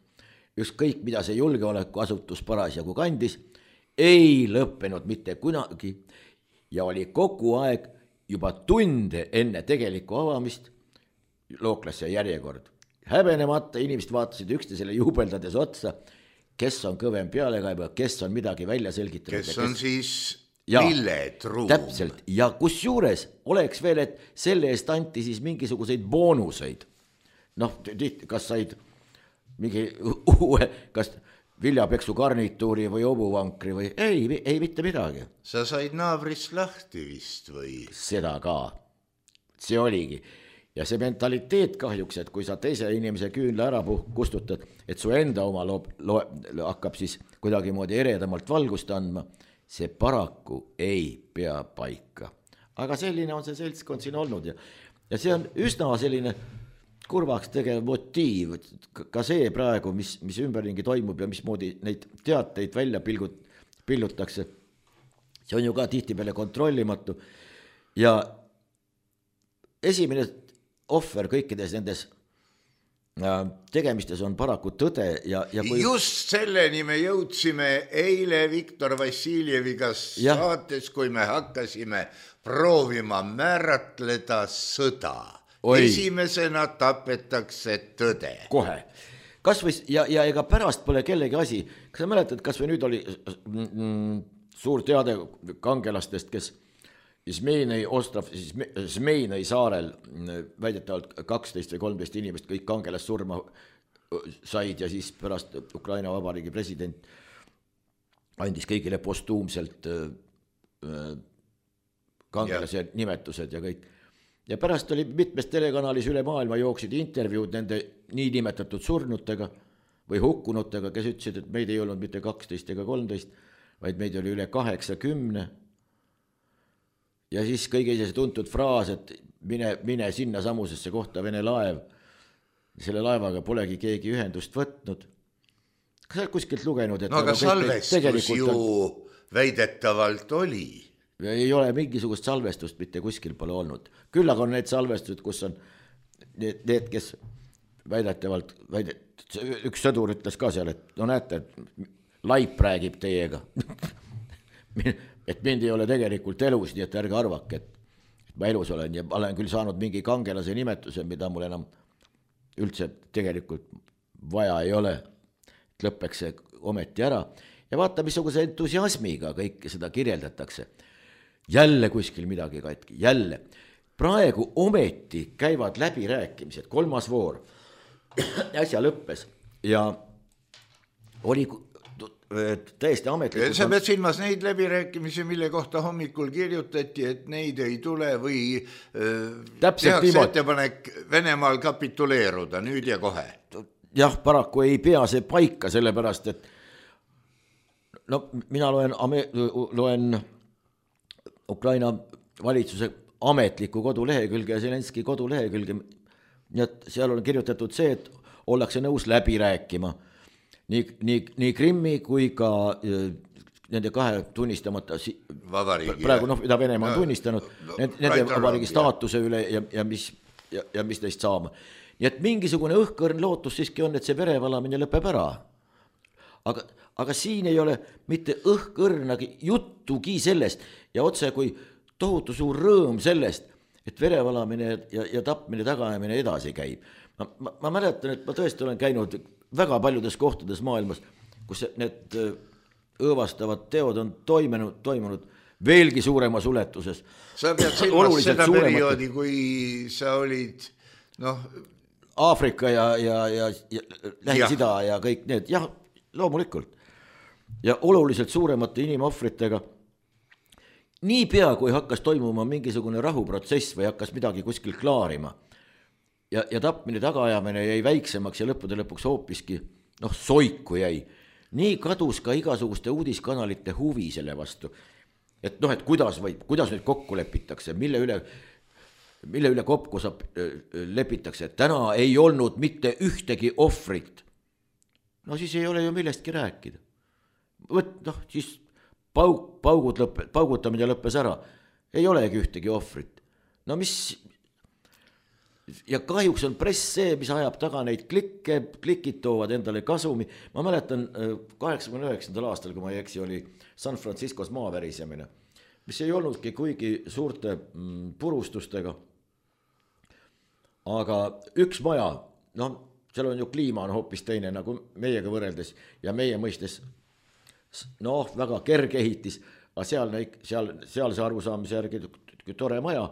ükskõik mida see julgeolekuasutus parasjagu kandis, ei lõppenud mitte kunagi ja oli kogu aeg juba tunde enne tegelikku avamist Looklasse järjekord. Häbenemata inimesed vaatasid üksteisele juubeldades otsa, kes on kõvem pealekaiba, kes on midagi välja selgitanud. Kes on siis Villetruum. Täpselt, ja kus juures oleks veel, et selle eest anti siis mingisuguseid boonuseid. Kas said mingi uue, kas viljapeksu garnituuri või obuvankri või ei mitte midagi. Sa said naabrist lahti vist või? Seda ka, see oligi. Ja see mentaliteet kahjuks, et kui sa teise inimese küünle ära kustutad, et su enda oma hakkab siis kuidagi moodi eredamalt valgust andma, see paraku ei pea paika. Aga selline on see seltskond siin olnud ja see on üsna selline kurvaks tegev motiiv, ka see praegu, mis ümberringi toimub ja mismoodi neid teateid välja pillutakse, see on ju ka tihtipeale kontrollimatu ja esimene ohver kõikides nendes tegemistes on paraku tõde ja kui... Just selleni me jõudsime eile Viktor Vassiljeviga saates, kui me hakkasime proovima määratleda sõda. Esimesena tapetakse tõde. Kohe. Kas või, ja ega pärast pole kellegi asi. Kas sa mäletad, kas või nüüd oli suur teade kangelastest, kes Zmeinei saarel väidetavalt 12 või 13 inimest kõik kangelast surma said ja siis pärast Ukraina Vabariigi president andis kõigile postuumselt kangelase nimetused ja kõik. Ja pärast oli mitmes telekanalis üle maailma jooksid intervjuud nende niinimetatud surnutega või hukkunutega, kes ütlesid, et meid ei olnud mitte 12 ega 13, vaid meid oli üle 80. Ja siis kõige see tuntud fraas, et mine sinna samusesse kohta Vene laev. Selle laevaga polegi keegi ühendust võtnud. kas sa oled kuskilt lugenud, et no aga salvestus ju väidetavalt oli. Ei ole mingisugust salvestust mitte kuskil pole olnud. Küll aga on need salvestused, kus on need, kes väidetavalt, üks sõdur ütles ka seal, et no näete, laip räägib teiega. Et mind ei ole tegelikult elus, nii et ärge arvake, et ma elus olen ja olen küll saanud mingi kangelase nimetuse, mida mul enam üldse tegelikult vaja ei ole, et lõpeks see ometi ära. Ja vaata, missuguse entusiasmiga kõike seda kirjeldatakse. Jälle kuskil midagi katki, jälle. Praegu ometi käivad läbirääkimised, 3. voor äsja lõppes ja oli täiesti ametlikult. Sa pead silmas neid läbirääkimisi, mille kohta hommikul kirjutati, et neid ei tule või tehakse ettepanek Venemaal kapituleeruda nüüd ja kohe. Jah, paraku ei pea see paika, sellepärast, et no mina loen Ukraina valitsuse ametliku kodulehekülge ja Zelenski kodulehekülge, nii et seal on kirjutatud see, et ollakse nõus läbi rääkima nii Krimmi kui ka nende 2 tunnistamata vabariigi, praegu mida Venemaa on tunnistanud, nende vabariigi staatuse üle ja mis neist saama. Nii et mingisugune õhkõrn lootus siiski on, et see verevalamine lõpeb ära. Aga siin ei ole mitte õhkõrnagi juttugi sellest ja otse kui tohutu suur rõõm sellest, et verevalamine ja tapmine tagajamine edasi käib. Ma mäletan, et ma tõesti olen käinud väga paljudes kohtades maailmas, kus need õõvastavad teod on toimunud veelgi suuremas uletuses. Sa pead silmas seda perioodi, kui sa olid Aafrika ja Lähis-Ida ja kõik need, jah, loomulikult. Ja oluliselt suuremate inimohvritega. Nii pea, kui hakkas toimuma mingisugune rahuprotsess või hakkas midagi kuskil klaarima ja tapmine tagaajamine jäi väiksemaks ja lõppude lõpuks hoopiski soiku jäi. Nii kadus ka igasuguste uudiskanalite huvi selle vastu. Et et kuidas nüüd kokku lepitakse, mille üle kokku lepitakse, et täna ei olnud mitte ühtegi ohvrit. No siis ei ole ju millestki rääkida. Siis paugutamine lõppes ära. Ei olegi ühtegi ohvrit. No mis... Ja kahjuks on press see, mis ajab taga neid klikid toovad endale kasumi. Ma mäletan 89. aastal, kui ma ei eksi, oli San Franciscos maavärisemine, mis ei olnudki kuigi suurte purustustega. Aga üks maja, seal on ju kliima on hoopis teine nagu meiega võrreldes ja meie mõistes väga kerge ehitis, aga seal see arusaamise järgi tore maja,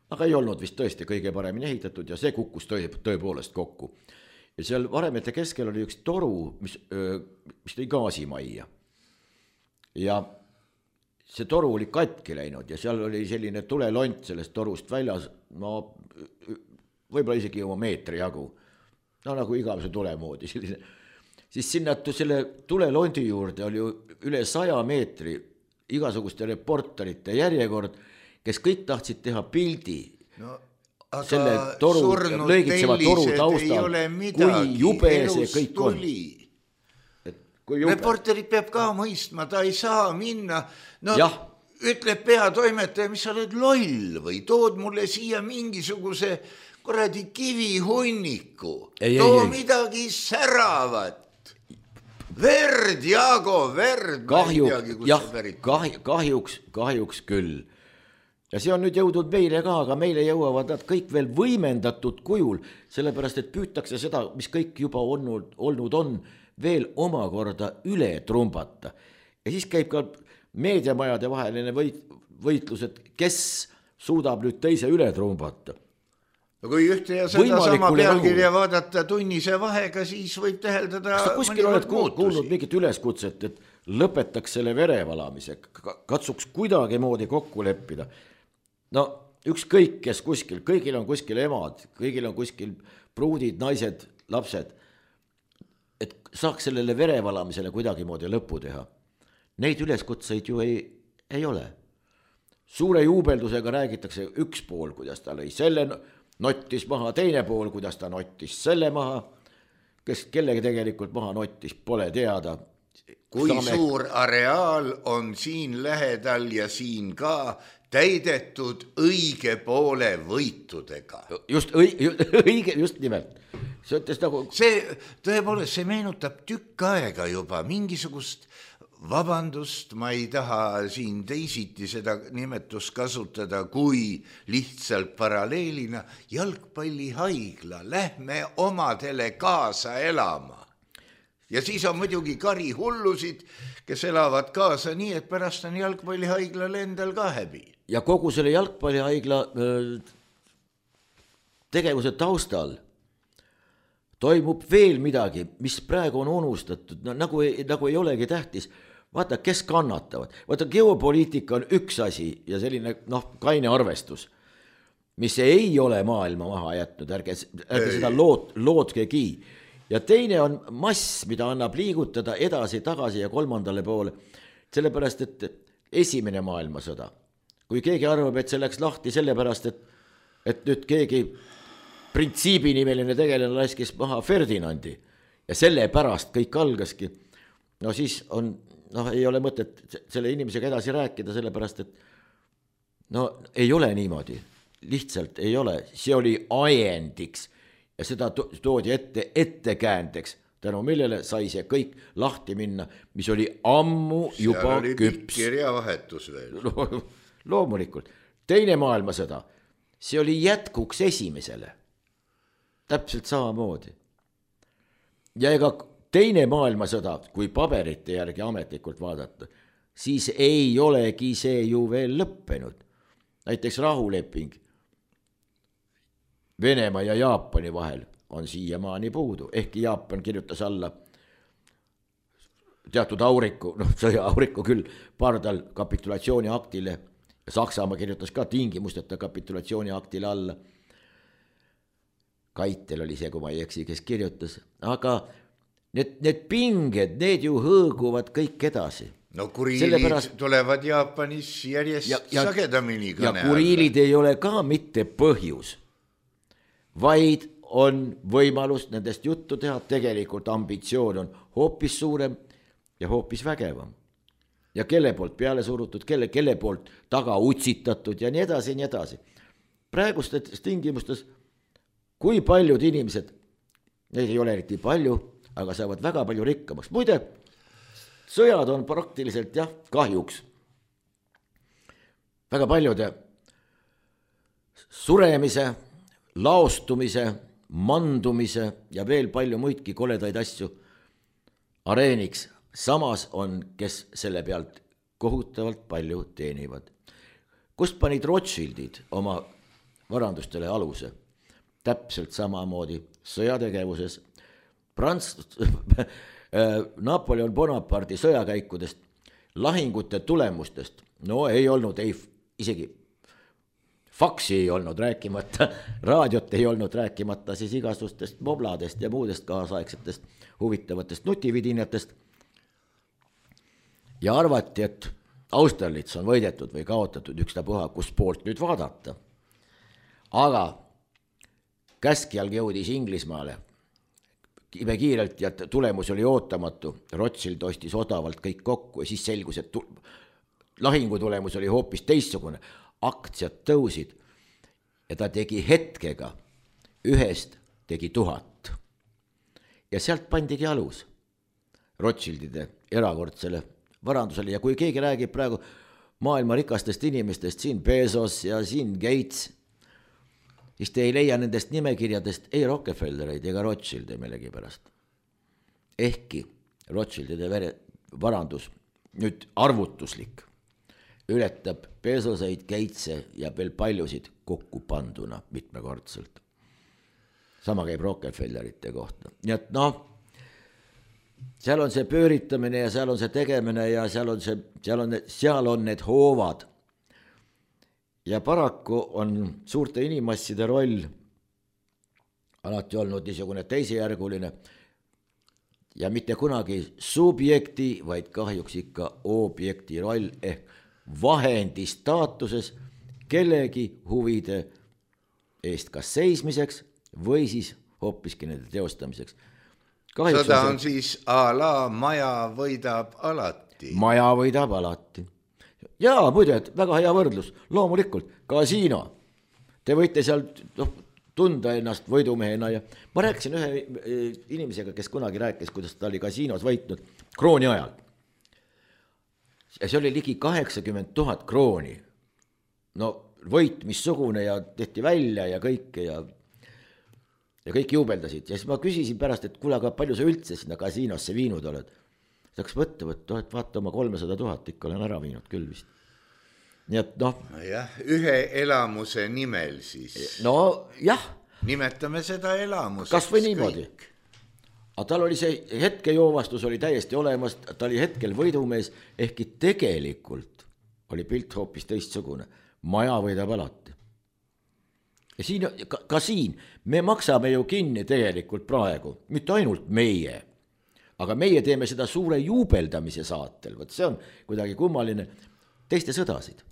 aga ei olnud vist tõesti kõige paremini ehitatud ja see kukkus tõepoolest kokku. Ja seal varemete keskel oli üks toru, mis tõi gaasimajja. Ja see toru oli katki läinud ja seal oli selline tulelont sellest torust väljas, võib-olla isegi oma meetri jagu. Nagu igavese tule moodi. Siis sinna selle tulelondi juurde oli üle 100 meetri igasuguste reporterite järjekord, kes kõik tahtsid teha pildi selle lõigitseva toru taustal, kui jube see kõik on. Reporterid peab ka mõistma, ta ei saa minna, ütleb peatoimetaja, mis sa oled loll või tood mulle siia mingisuguse korradi kivihunniku, too midagi säravat. Verd, Jaago, verd. Kahjuks küll. Ja see on nüüd jõudnud meile ka, aga meile jõuavad nad kõik veel võimendatud kujul, sellepärast et püütakse seda, mis kõik juba olnud on, veel omakorda üle trumbata. Ja siis käib ka meediamajade vaheline võitlus, et kes suudab nüüd teise üle trumbata. Kui ühte ja seda sama pealkirja vaadata tunnise vahega, siis võib täheldada... Kas ta kuskil oled kuulnud mingit üleskutset, et lõpetaks selle verevalamise, katsuks kuidagi moodi kokku leppida? Ükskõik kes kuskil, kõigil on kuskil emad, kõigil on kuskil pruudid, naised, lapsed, et saaks sellele verevalamisele kuidagi moodi lõpu teha. Neid üleskutseid ju ei ole. Suure juubeldusega räägitakse üks pool, kuidas ta lõi selle... nottis maha, teine pool, kuidas ta nottis selle maha. kes kellegi tegelikult maha nottis, pole teada. Kui suur areaal on siin lähedal ja siin ka täidetud õige poole võitudega. Just õige, just nimelt. See ütles nagu... See tõepoolest, see meenutab tükk aega juba mingisugust, vabandust, ma ei taha siin teisiti seda nimetust kasutada, kui lihtsalt paralleelina jalgpallihaigla, lähme omadele kaasa elama. Ja siis on muidugi karihullusid, kes elavad kaasa nii, et pärast on jalgpallihaiglal endal ka häbi. Ja kogu selle jalgpallihaigla tegevuse taustal toimub veel midagi, mis praegu on unustatud, nagu ei olegi tähtis. Vaata, kes kannatavad. Vaata, geopoliitika on üks asi ja selline kaine arvestus, mis ei ole maailma maha jätnud, ärge seda loodkegi. Ja teine on mass, mida annab liigutada edasi, tagasi ja kolmandale poole. Sellepärast, et esimene maailmasõda, kui keegi arvab, et see läks lahti sellepärast, et nüüd keegi printsiibinimeline tegelane laskis maha Ferdinandi ja sellepärast kõik algaski, no siis on, ei ole mõtet selle inimesega edasi rääkida, sellepärast, et ei ole niimoodi, lihtsalt ei ole, see oli ajendiks ja seda toodi ettekäändeks, tänu millele sai see kõik lahti minna, mis oli ammu juba seal oli küps. kirjavahetus veel. Loomulikult. Teine maailmasõda, see oli jätkuks esimesele. Täpselt samamoodi. Ja ega teine maailmasõda, kui paberite järgi ametlikult vaadata, siis ei olegi see ju veel lõppenud. Näiteks rahuleping Venemaa ja Jaapani vahel on siiamaani puudu, ehkki Jaapan kirjutas alla teatud auriku, sõja-auriku küll, pardal kapitulatsiooni aktile, Saksamaa kirjutas ka tingimusteta kapitulatsiooni aktile alla. Kaitel oli see, kui ma ei eksi, kes kirjutas, aga need pinged, need ju hõõguvad kõik edasi. No kuriilid tulevad Jaapanis järjest sagedamini kõne alla. Ja kuriilid ei ole ka mitte põhjus, vaid on võimalus nendest juttu teha, tegelikult ambitsioon on hoopis suurem ja hoopis vägevam. Ja kelle poolt peale surutud, kelle poolt taga utsitatud ja nii edasi, nii edasi. Praegustes tingimustes, kui paljud inimesed, neid ei ole eriti palju, aga saavad väga palju rikkamaks. Muide, sõjad on praktiliselt kahjuks väga paljude suremise, laostumise, mandumise ja veel palju muidki koledaid asju areeniks. Samas on, kes selle pealt kohutavalt palju teenivad. Kust panid Rothschildid oma varandustele aluse? Täpselt samamoodi sõjategevuses. Napoleon Bonaparte'i sõjakäikudest, lahingute tulemustest, ei olnud, isegi faksi ei olnud rääkimata, raadiot ei olnud rääkimata, siis igasustest mobladest ja muudest kaasaegsetest huvitavatest nutividinatest. Ja arvati, et Austerlitz on võidetud või kaotatud ükstapuha, kus poolt nüüd vaadata. Aga käskjalg jõudis Inglismaale kiirelt ja tulemus oli ootamatu. Rothschild ostis odavalt kõik kokku ja siis selgus, et lahingu tulemus oli hoopis teistsugune. Aktsiad tõusid ja ta tegi hetkega, ühest tegi 1000. Ja sealt pandigi alus Rothschildide erakordsele varandusele ja kui keegi räägib praegu maailma rikastest inimestest, siin Bezos ja siin Gates, siis te ei leia nendest nimekirjadest ei Rockefellereid ega Rothschilde millegi pärast. Ehkki Rothschildide varandus, nüüd arvutuslik, ületab Bezoseid, Gatese ja veel paljusid kokku panduna mitmekordselt. Sama käib Rockefellerite kohta. Nii et seal on see pööritamine ja seal on see tegemine ja seal on need hoovad. Ja paraku on suurte inimasside roll alati olnud niisugune teisejärguline ja mitte kunagi subjekti, vaid kahjuks ikka objekti roll ehk vahendi staatuses kellegi huvide eest kas seismiseks või siis hoopiski nende teostamiseks. Sõda on siis a la maja võidab alati. Maja võidab alati. Jaa, muide, väga hea võrdlus, loomulikult, kasiino. Te võite seal tunda ennast võidumehena ja ma rääkisin ühe inimesega, kes kunagi rääkis, kuidas ta oli kasiinos võitnud krooni ajal. Ja see oli ligi 80 000 krooni. No võit missugune ja tehti välja ja kõike ja kõik juubeldasid. Ja siis ma küsisin pärast, et kuule, aga palju sa üldse sinna kasiinosse viinud oled? Ta hakkas võtta, et vaata oma 300 000 ikka olen ära viinud küll vist. Nii et jah, ühe elamuse nimel siis. No jah. Nimetame seda elamuseks. Kas või niimoodi. Aga tal oli see hetkejoovastus oli täiesti olemas, ta oli hetkel võidumees, ehkki tegelikult oli pilt hoopis teistsugune. Maja võidab alati. Ja siin, ka siin me maksame ju kinni tegelikult praegu, mitte ainult meie, aga meie teeme seda suure juubeldamise saatel, võt see on kuidagi kummaline, teiste sõdasid.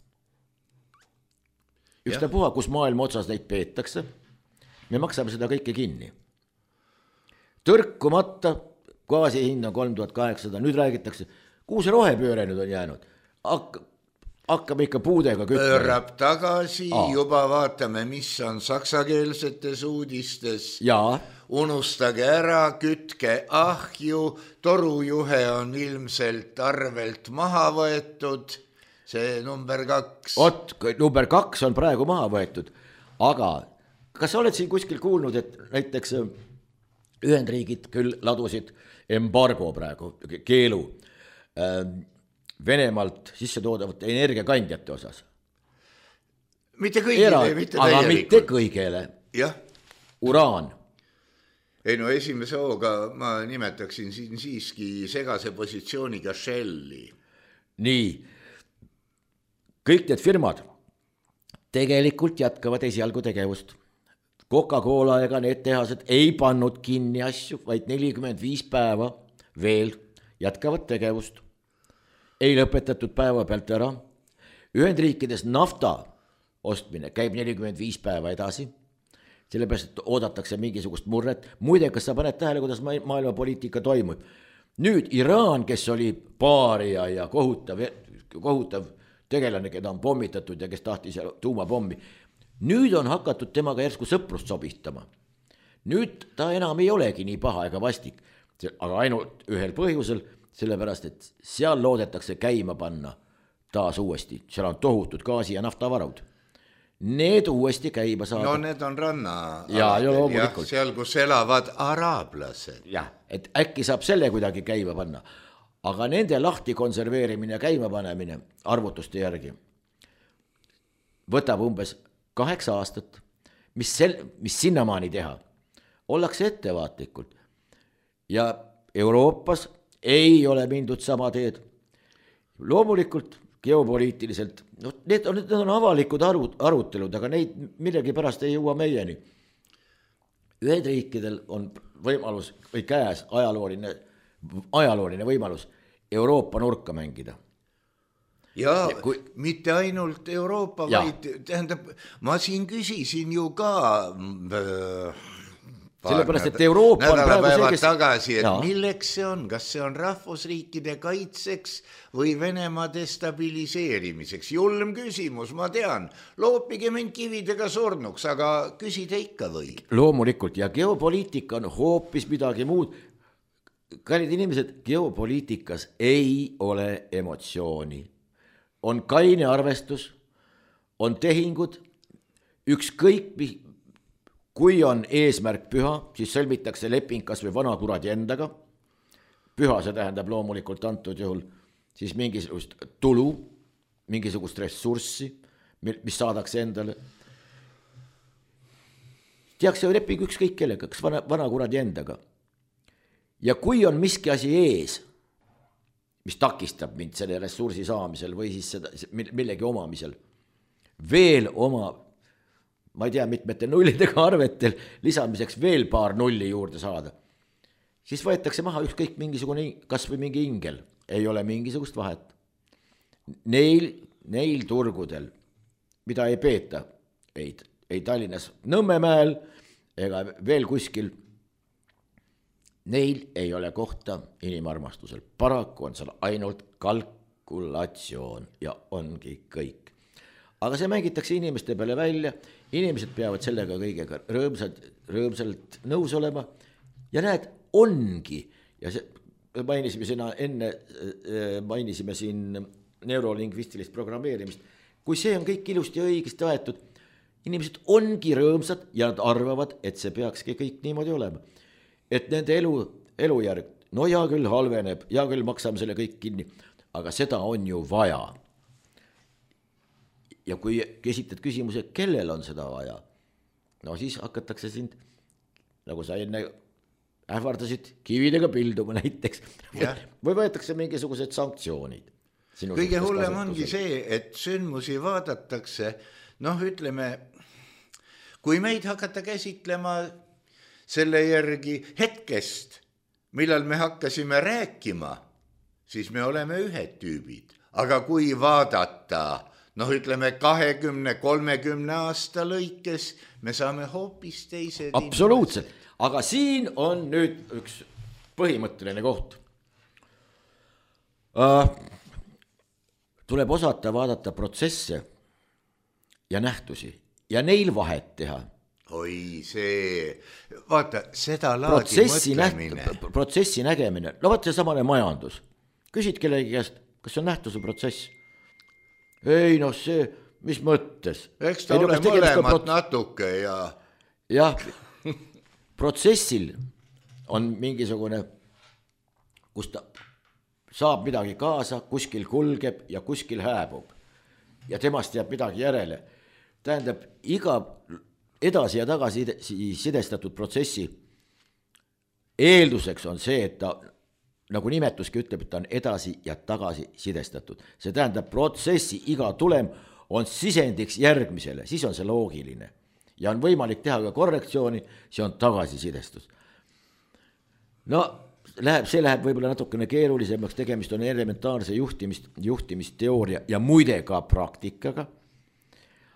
Ükstapuha, kus maailma otsas neid peetakse, me maksame seda kõike kinni. Tõrkumata, gaasi hind on 3800, nüüd räägitakse, kuhu see rohepööre nüüd on jäänud? Hakkame ikka puudega kütma. Pöörab tagasi, juba vaatame, mis on saksakeelsetes uudistes. Jaa. Unustage ära, kütke ahju, torujuhe on ilmselt arvelt maha võetud. See number 2. Number 2 on praegu maha võetud, aga kas sa oled siin kuskil kuulnud, et näiteks Ühendriigid küll ladusid embargo praegu, keelu Venemaalt sisse toodavate energiakandjate osas? Mitte kõigile, mitte täielikult. Aga mitte kõigele. Jah. Uraan. Ei no esimese hooga ma nimetaksin siin siiski segase positsiooniga Shelli. Nii. Kõik need firmad tegelikult jätkavad esialgu tegevust. Coca-Cola ega need tehased ei pannud kinni asju, vaid 45 päeva veel jätkavad tegevust. Ei lõpetatud päeva pealt ära. Ühendriikides nafta ostmine käib 45 päeva edasi. Sellepärast, et oodatakse mingisugust murret. Muide, kas sa paned tähele, kuidas maailma poliitika toimub? Nüüd Iraan, kes oli paaria ja kohutav tegelane, keda on pommitatud ja kes tahtis tuumapommi. Nüüd on hakatud temaga järsku sõprust sobitama. Nüüd ta enam ei olegi nii paha ega vastik, aga ainult ühel põhjusel, sellepärast, et seal loodetakse käima panna taas uuesti. Seal on tohutud gaasi ja naftavarud. Need uuesti käima saada. No need on ranna. Ja loomulikult. Seal, kus elavad araablased. Jah, et äkki saab selle kuidagi käima panna. Aga nende lahti konserveerimine ja käima panemine arvutuste järgi võtab umbes 8 aastat, mis sinnamaani teha. Ollakse ettevaatlikult. Ja Euroopas ei ole mindud sama teed. Loomulikult geopoliitiliselt, need on avalikud arutelud, aga neid millegi pärast ei jõua meieni. Ühendriikidel on võimalus või käes ajalooline võimalus Euroopa nurka mängida. Ja mitte ainult Euroopa, vaid tähendab, ma siin küsisin ju ka sellepärast, et Euroopa nädalapäevad tagasi, et milleks see on, kas see on rahvusriikide kaitseks või Venemaa destabiliseerimiseks. Julm küsimus, ma tean, loopige mind kividega surnuks, aga küsida ikka või. Loomulikult ja geopoliitika on hoopis midagi muud. Kallid inimesed, geopoliitikas ei ole emotsiooni. On kaine arvestus, on tehingud, ükskõik, kui on eesmärk püha, siis sõlmitakse leping kas või vanakuradi endaga. Püha see tähendab loomulikult antud juhul siis mingisugust tulu, mingisugust ressurssi, mis saadakse endale. Tehakse leping ükskõik kellega, kas vanakuradi endaga. Ja kui on miski asi ees, mis takistab mind selle ressursi saamisel või siis millegi omamisel, veel oma, ma ei tea, mitmete nullidega arvetel lisamiseks veel paar nulli juurde saada, siis võetakse maha ükskõik mingisugune, kas või mingi ingel, ei ole mingisugust vahet. Neil turgudel, mida ei peeta, ei Tallinnas Nõmmemäel ega veel kuskil, neil ei ole kohta inimarmastusel. Paraku on seal ainult kalkulatsioon ja ongi kõik. Aga see mängitakse inimeste peale välja, inimesed peavad sellega kõigega rõõmsalt nõus olema ja näed, ongi. Ja mainisime siin neurolingvistilist programmeerimist. Kui see on kõik ilusti ja õigesti aetud, inimesed ongi rõõmsad ja nad arvavad, et see peakski kõik niimoodi olema. Et nende elujärg, no ja küll halveneb, ja küll maksame selle kõik kinni, aga seda on ju vaja. Ja kui esitad küsimuse, kellel on seda vaja, no siis hakatakse sind, nagu sa enne ähvardasid, kividega pilduma näiteks. Või võetakse mingisugused sanktsioonid. Kõige hullem ongi see, et sündmusi vaadatakse, noh ütleme, kui meid hakata käsitlema selle järgi hetkest, millal me hakkasime rääkima, siis me oleme ühed tüübid. Aga kui vaadata, noh ütleme 20-30 aasta lõikes, me saame hoopis teised. Absoluutselt, aga siin on nüüd üks põhimõtteline koht. Tuleb osata vaadata protsesse ja nähtusi ja neil vahet teha. Oi see, vaata, seda laadi mõtlemine. Protsessi nägemine, no vaata see samane majandus. Küsid kellegi käest, kas see on nähtus või protsess? Ei noh, see, mis mõttes? Eks ta ole mõlemat natuke ja... Jah, protsessil on mingisugune, kus ta saab midagi kaasa, kuskil kulgeb ja kuskil hääbub. Ja temast jääb midagi järele. Tähendab, iga edasi ja tagasi sidestatud protsessi eelduseks on see, et ta, nagu nimetuski ütleb, et ta on edasi ja tagasi sidestatud. See tähendab, protsessi iga tulem on sisendiks järgmisele, siis on see loogiline. Ja on võimalik teha ka korrektsiooni, see on tagasisidestus. No, see läheb võib-olla natukene keerulisemaks, tegemist on elementaarse juhtimisteooria ja muide ka praktikaga.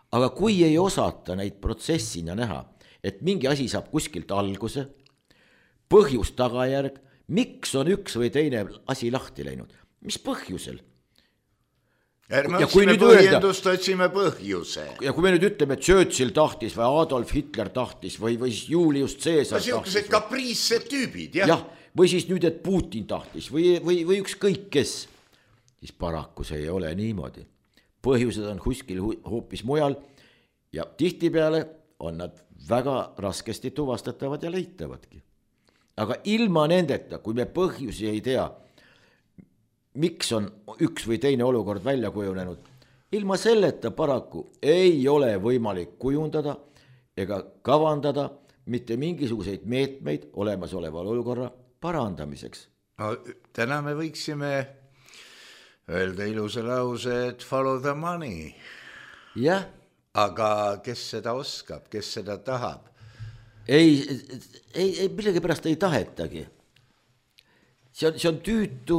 Aga kui ei osata neid protsessina näha, et mingi asi saab kuskilt alguse, põhjus tagajärg, miks on üks või teine asi lahti läinud, mis põhjusel? Ärme otsime põhjendust, otsime põhjuse. Ja kui me nüüd ütleme, et Churchill tahtis või Adolf Hitler tahtis või Julius Caesar tahtis. Siukesed kapriissed tüübid, jah. Jah, või siis nüüd, et Putin tahtis või ükskõik kes. Siis paraku see ei ole niimoodi. Põhjused on kuskil hoopis mujal ja tihtipeale on nad väga raskesti tuvastatavad ja leitavadki. Aga ilma nendeta, kui me põhjusi ei tea, miks on üks või teine olukord välja kujunenud, ilma selleta paraku ei ole võimalik kujundada ega kavandada mitte mingisuguseid meetmeid olemasoleva olukorra parandamiseks. No, täna me võiksime öelda ilusa lause, et follow the money. Jah. Aga kes seda oskab, kes seda tahab? Ei, millegi pärast ei tahetagi. See on tüütu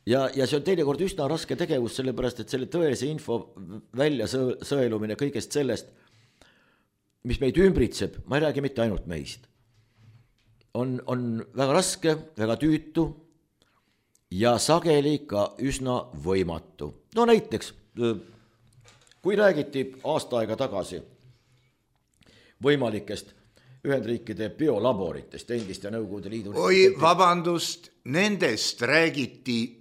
ja see on teinekord üsna raske tegevus, sellepärast, et selle tõese info välja sõelumine kõigest sellest, mis meid ümbritseb, ma ei räägi mitte ainult meist, on väga raske, väga tüütu ja sageli ka üsna võimatu. No näiteks, kui räägiti aasta aega tagasi võimalikest Ühendriikide biolaboritest, endist ja Nõukogude Liidu... Oi, vabandust, nendest räägiti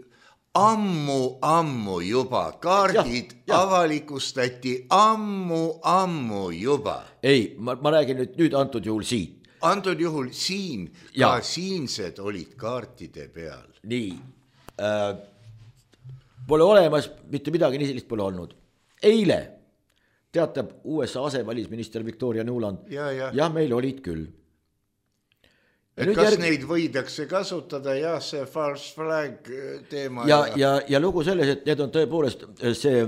ammu juba. Kaardid avalikustati ammu juba. Ei, ma räägin nüüd antud juhul siit. Antud juhul siin, ka siinsed olid kaartide peal. Nii, pole olemas, mitte midagi nii sellist pole olnud. Eile teatab USA asevälisminister Victoria Nuland, jah, meil olid küll. Kas neid võidakse kasutada, jah, see false flag teema. Ja lugu selles, et need on tõepoolest see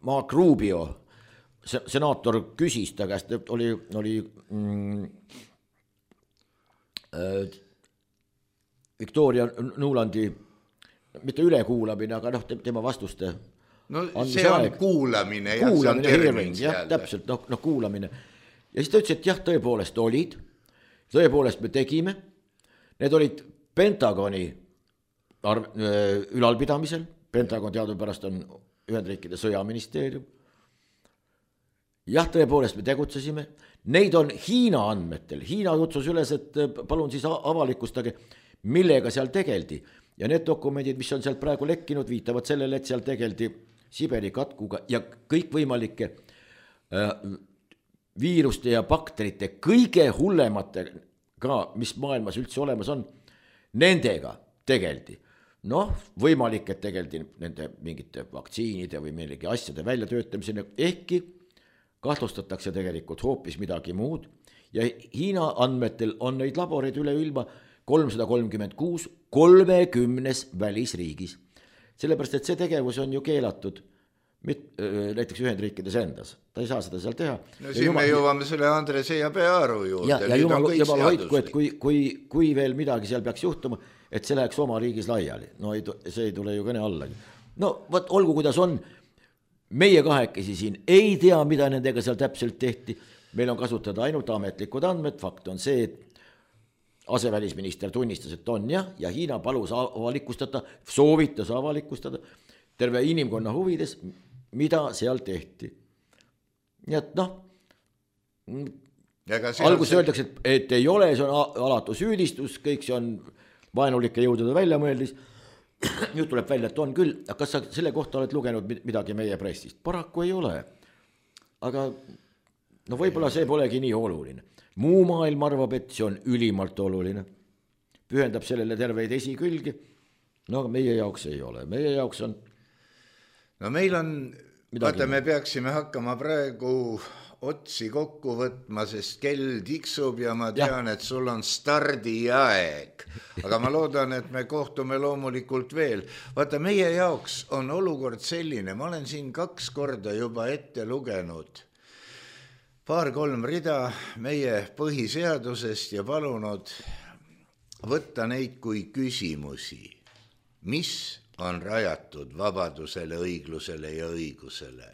Mark Rubio, senaator küsis ta käest, oli Victoria Nulandi mitte ülekuulamine, aga tema vastuste. No see on kuulamine, jah, see on termins jälle. Täpselt, kuulamine. Ja siis ta ütles, et jah, tõepoolest olid, tõepoolest me tegime, need olid Pentagoni ülalpidamisel, Pentagon teadupärast on Ühendriikide sõjaministeerium. Jah, tõepoolest me tegutsesime, neid on Hiina andmetel, Hiina kutsus üles, et palun siis avalikustage, millega seal tegeldi. Ja need dokumendid, mis on sealt praegu lekkinud, viitavad sellele, et seal tegeldi Siberi katkuga ja kõikvõimalike viiruste ja bakterite kõige hullemate ka, mis maailmas üldse olemas on, nendega tegeldi. Noh, võimalik, et tegeldi nende mingite vaktsiinide või millegi asjade väljatöötamisena, ehkki kahtlustatakse tegelikult hoopis midagi muud ja Hiina andmetel on neid laboreid üle ilma 336 30 välisriigis. Sellepärast, et see tegevus on ju keelatud näiteks Ühendriikides endas. Ta ei saa seda seal teha. No siin me jõuame selle Andres ja Pearu juurde. Ja jumal hoidku, et kui veel midagi seal peaks juhtuma, et see läheks oma riigis laiali. No see ei tule ju kõne allagi. No võt, olgu kuidas on, meie kahekesi siin ei tea, mida nendega seal täpselt tehti. Meil on kasutada ainult ametlikud andmed. Fakt on see, et asevälisminister tunnistas, et on ja Hiina palus avalikustada, soovitas avalikustada terve inimkonna huvides, mida seal tehti. Nii et noh, alguses öeldakse, et ei ole, see on alatu süüdistus, kõik see on vaenulike jõudude väljamõeldis. Nüüd tuleb välja, et on küll. Kas sa selle kohta oled lugenud midagi meie pressist? Paraku ei ole. Aga no võib-olla see polegi nii oluline. Muu maailm arvab, et see on ülimalt oluline. Pühendab sellele terveid esikülgi. No meie jaoks ei ole. Meie jaoks on... No meil on... Vaata, me peaksime hakkama praegu otsi kokku võtma, sest kell tiksub ja ma tean, et sul on stardiaeg. Aga ma loodan, et me kohtume loomulikult veel. Vaata, meie jaoks on olukord selline. Ma olen siin 2 korda juba ette lugenud 2-3 rida meie põhiseadusest ja palunud võtta neid kui küsimusi, mis on rajatud vabadusele, õiglusele ja õigusele,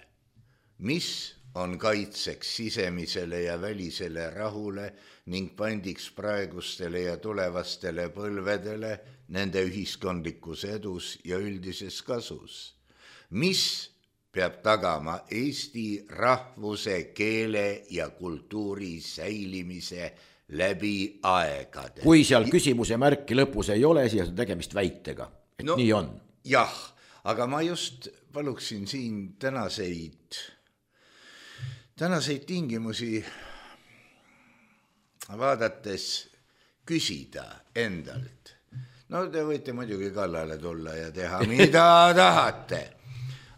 mis on kaitseks sisemisele ja välisele rahule ning pandiks praegustele ja tulevastele põlvedele nende ühiskondlikus edus ja üldises kasus, mis peab tagama Eesti rahvuse, keele ja kultuuri säilimise läbi aegade. Kui seal küsimuse märki lõpus ei ole, siis on tegemist väitega, et no, nii on. Jah, aga ma just paluksin siin tänaseid tingimusi vaadates küsida endalt. No te võite muidugi kallale tulla ja teha mida tahate.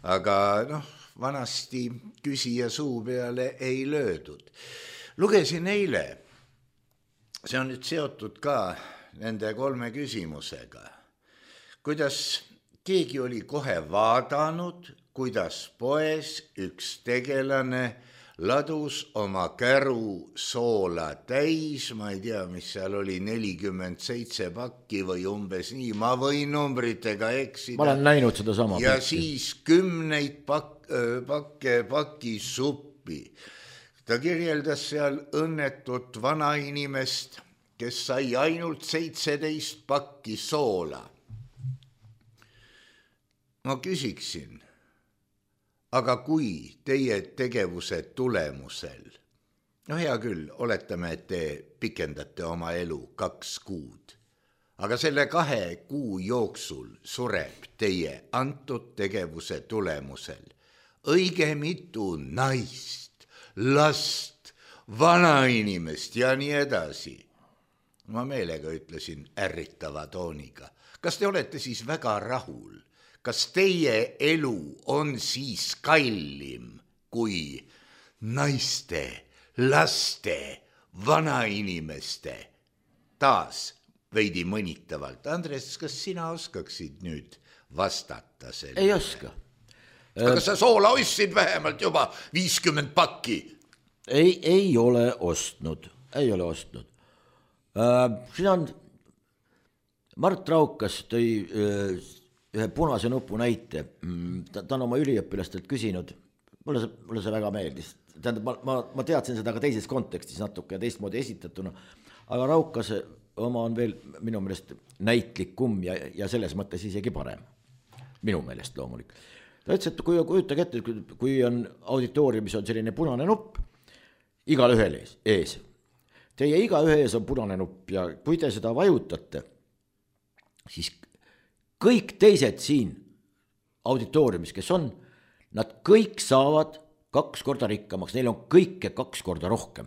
Aga vanasti küsija suu peale ei löödud. Lugesin eile, see on nüüd seotud ka nende 3 küsimusega, kuidas keegi oli kohe vaadanud, kuidas poes üks tegelane ladus oma käru soola täis, ma ei tea, mis seal oli, 47 pakki või umbes nii, ma võin numbritega eksida. Ma olen näinud seda sama. Ja siis 10 pakki suppi. Ta kirjeldas seal õnnetut vanainimest, kes sai ainult 17 pakki soola. Ma küsiksin, aga kui teie tegevuse tulemusel, hea küll, oletame, et te pikendate oma elu 2 kuud, aga selle 2 kuu jooksul sureb teie antud tegevuse tulemusel õige mitu naist, last, vanainimest ja nii edasi. Ma meelega ütlesin ärritava tooniga. Kas te olete siis väga rahul? Kas teie elu on siis kallim kui naiste, laste, vanainimeste? Taas veidi mõnitavalt. Andres, kas sina oskaksid nüüd vastata selle? Ei oska. Aga sa soola ostsid vähemalt juba 50 pakki? Ei ole ostnud. Ei ole ostnud. Siin on Mart Raukas tõi ühe punase nupu näite. Ta on oma üliõpilastelt küsinud, mulle see väga meeldis. Tähendab, ma teadsin seda ka teises kontekstis natuke ja teistmoodi esitatuna, aga Raukas oma on veel minu meelest näitlikum ja selles mõttes isegi parem. Minu meelest loomulik. Ta ütles, et kujutage ette, kui on auditooriumis on selline punane nupp, igal ühel ees. Teie iga ühe ees on punane nupp ja kui te seda vajutate, siis kõik teised siin auditooriumis, kes on, nad kõik saavad 2 korda rikkamaks, neil on kõike 2 korda rohkem.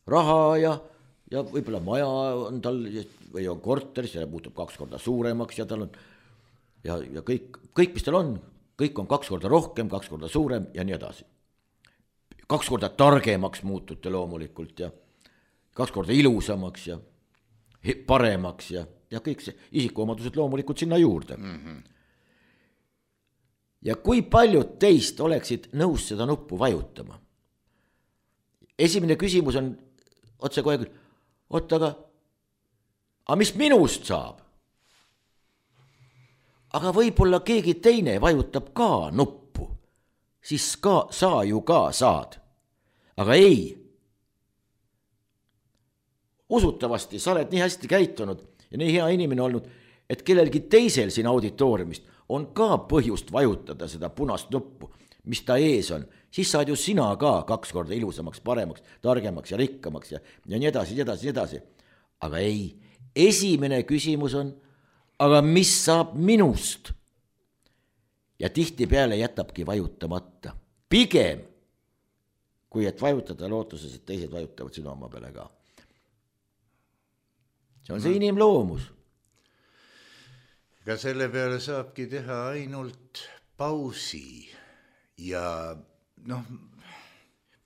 Raha ja võib-olla maja on tal või on korteris, see muutub 2 korda suuremaks ja tal on ja kõik, mis tal on, kõik on 2 korda rohkem, 2 korda suurem ja nii edasi. 2 korda targemaks muutute loomulikult ja 2 korda ilusamaks ja paremaks ja kõik see isikuomadused loomulikult sinna juurde. Ja kui paljud teist oleksid nõus seda nuppu vajutama? Esimene küsimus on otse kohe küll, aga mis minust saab? Aga võib-olla keegi teine vajutab ka nuppu, siis sa ju ka saad. Aga ei. Usutavasti sa oled nii hästi käitunud ja nii hea inimene olnud, et kellelgi teisel siin auditooriumist on ka põhjust vajutada seda punast nuppu, mis ta ees on. Siis saad ju sina ka 2 korda ilusamaks, paremaks, targemaks ja rikkamaks ja nii edasi. Aga ei, esimene küsimus on, aga mis saab minust? Ja tihti peale jätabki vajutamata. Pigem, kui et vajutada lootuses, et teised vajutavad sinu oma peale ka. See on see inimloomus. Ega selle peale saabki teha ainult pausi ja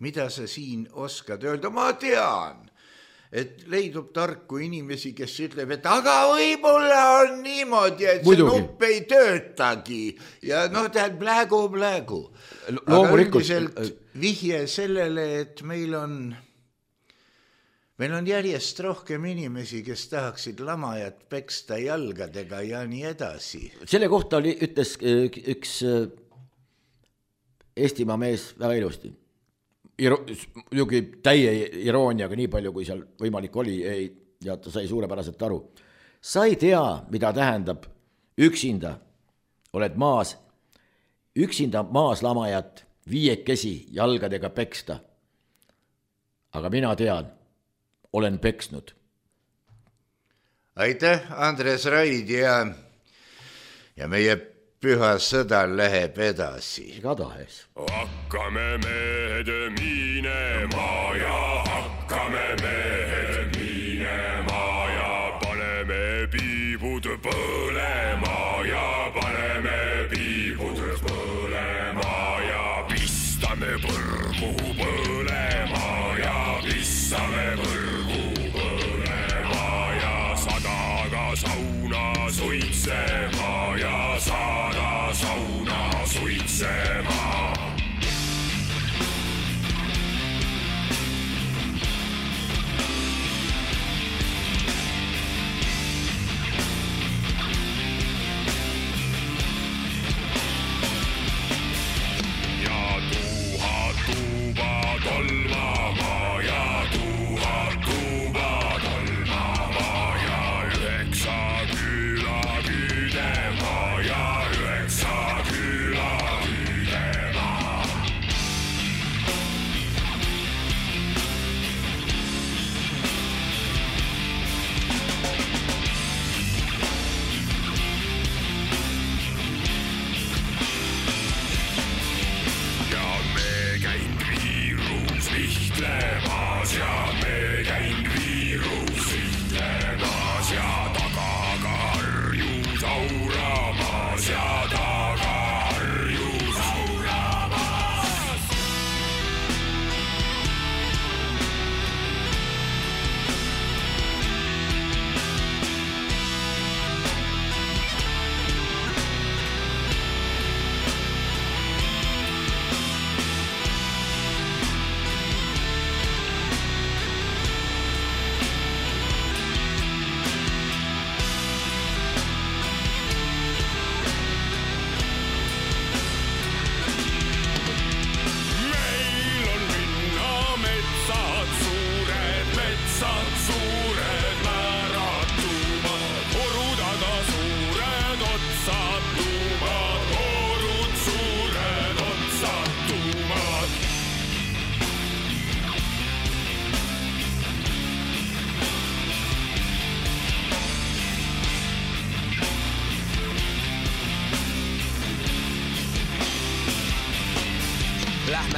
mida sa siin oskad öelda? Ma tean, et leidub tarku inimesi, kes ütleb, et aga võib-olla on niimoodi, et see nupp ei töötagi ja tead plägu. Aga üldiselt vihje sellele, et meil on järjest rohkem inimesi, kes tahaksid lamajat peksta jalgadega ja nii edasi. Selle kohta ütles üks Eestimaa mees väga ilusti. Muidugi täie irooniaga, nii palju kui seal võimalik oli ja ta sai suurepäraselt aru. Sa ei tea, mida tähendab üksinda, oled maas, üksinda maas lamajat 5 jalgadega peksta. Aga mina tean, olen peksnud. Aitäh, Andres Raid ja meie püha sõda läheb edasi. Igatahes. Hakkame mehed minema ja hakkame mehed minema ja paneme piibud põlema ja paneme piibud põlema ja pistame põrgu põlema ja pistame põrgu põlema ja sadaga sauna suitsema ja saada sauna suitsema. Ja 1000 tuuba tolmama ja 1000 tuuba tolmama ja 9 küla küüdema ja 9 küla küüdema.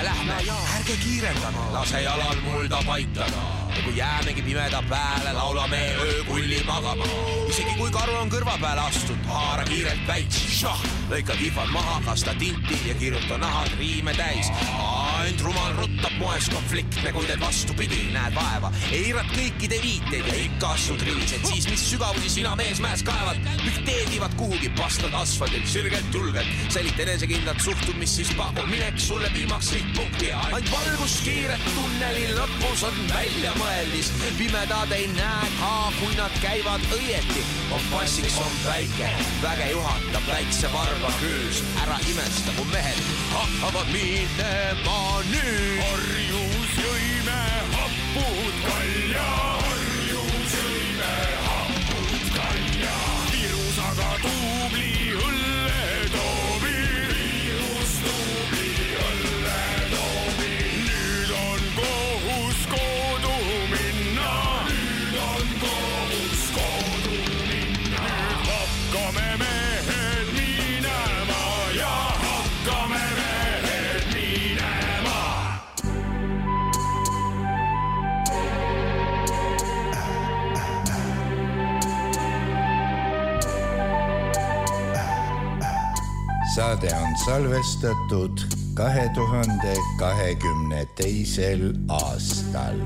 lähme, ärge kiirendage, lase jalal mulda paitada. Ja kui jäämegi pimeda pääle, laulame öökulli magama. Isegi kui karu on kõrva peale astunud, haara kiirelt väits. Lõika kihvad maha, kasta tinti ja kirjuta nahad riime täis. Ainult rumal ruttab moes konfliktne, kui teed vastupidi, näed vaeva. Eirad kõikide viiteid ja ikka astud rivised. Siis mis sügavusi sina mees mäes kaevad, miks teedivad kuhugi pastad asfaldilt, sirgelt julgelt. Sälit enesekindlat suhtud, mis siis pakub mineks sulle viimaks ripppunkti. Ainult valgus kiiret tunneli lõpus on välja mõeldis. Pimedad ei näe ka, kui nad käivad õieti. Kompassiks on päike, väge juhatab väikse varba küüs. Ära imesta, mu mehed hakkavad minema nüüd. Harjus jõime hapud kalja, harjus jõime hapud kalja. Virus aga tuubli õlle toobi, virus tuubli õlle toobi. Nüüd on kohus kodu minna, nüüd on kohus kodu minna. Nüüd hakkame mehed minema ja hakkame mehed minema. Saade on salvestatud 2022. aastal.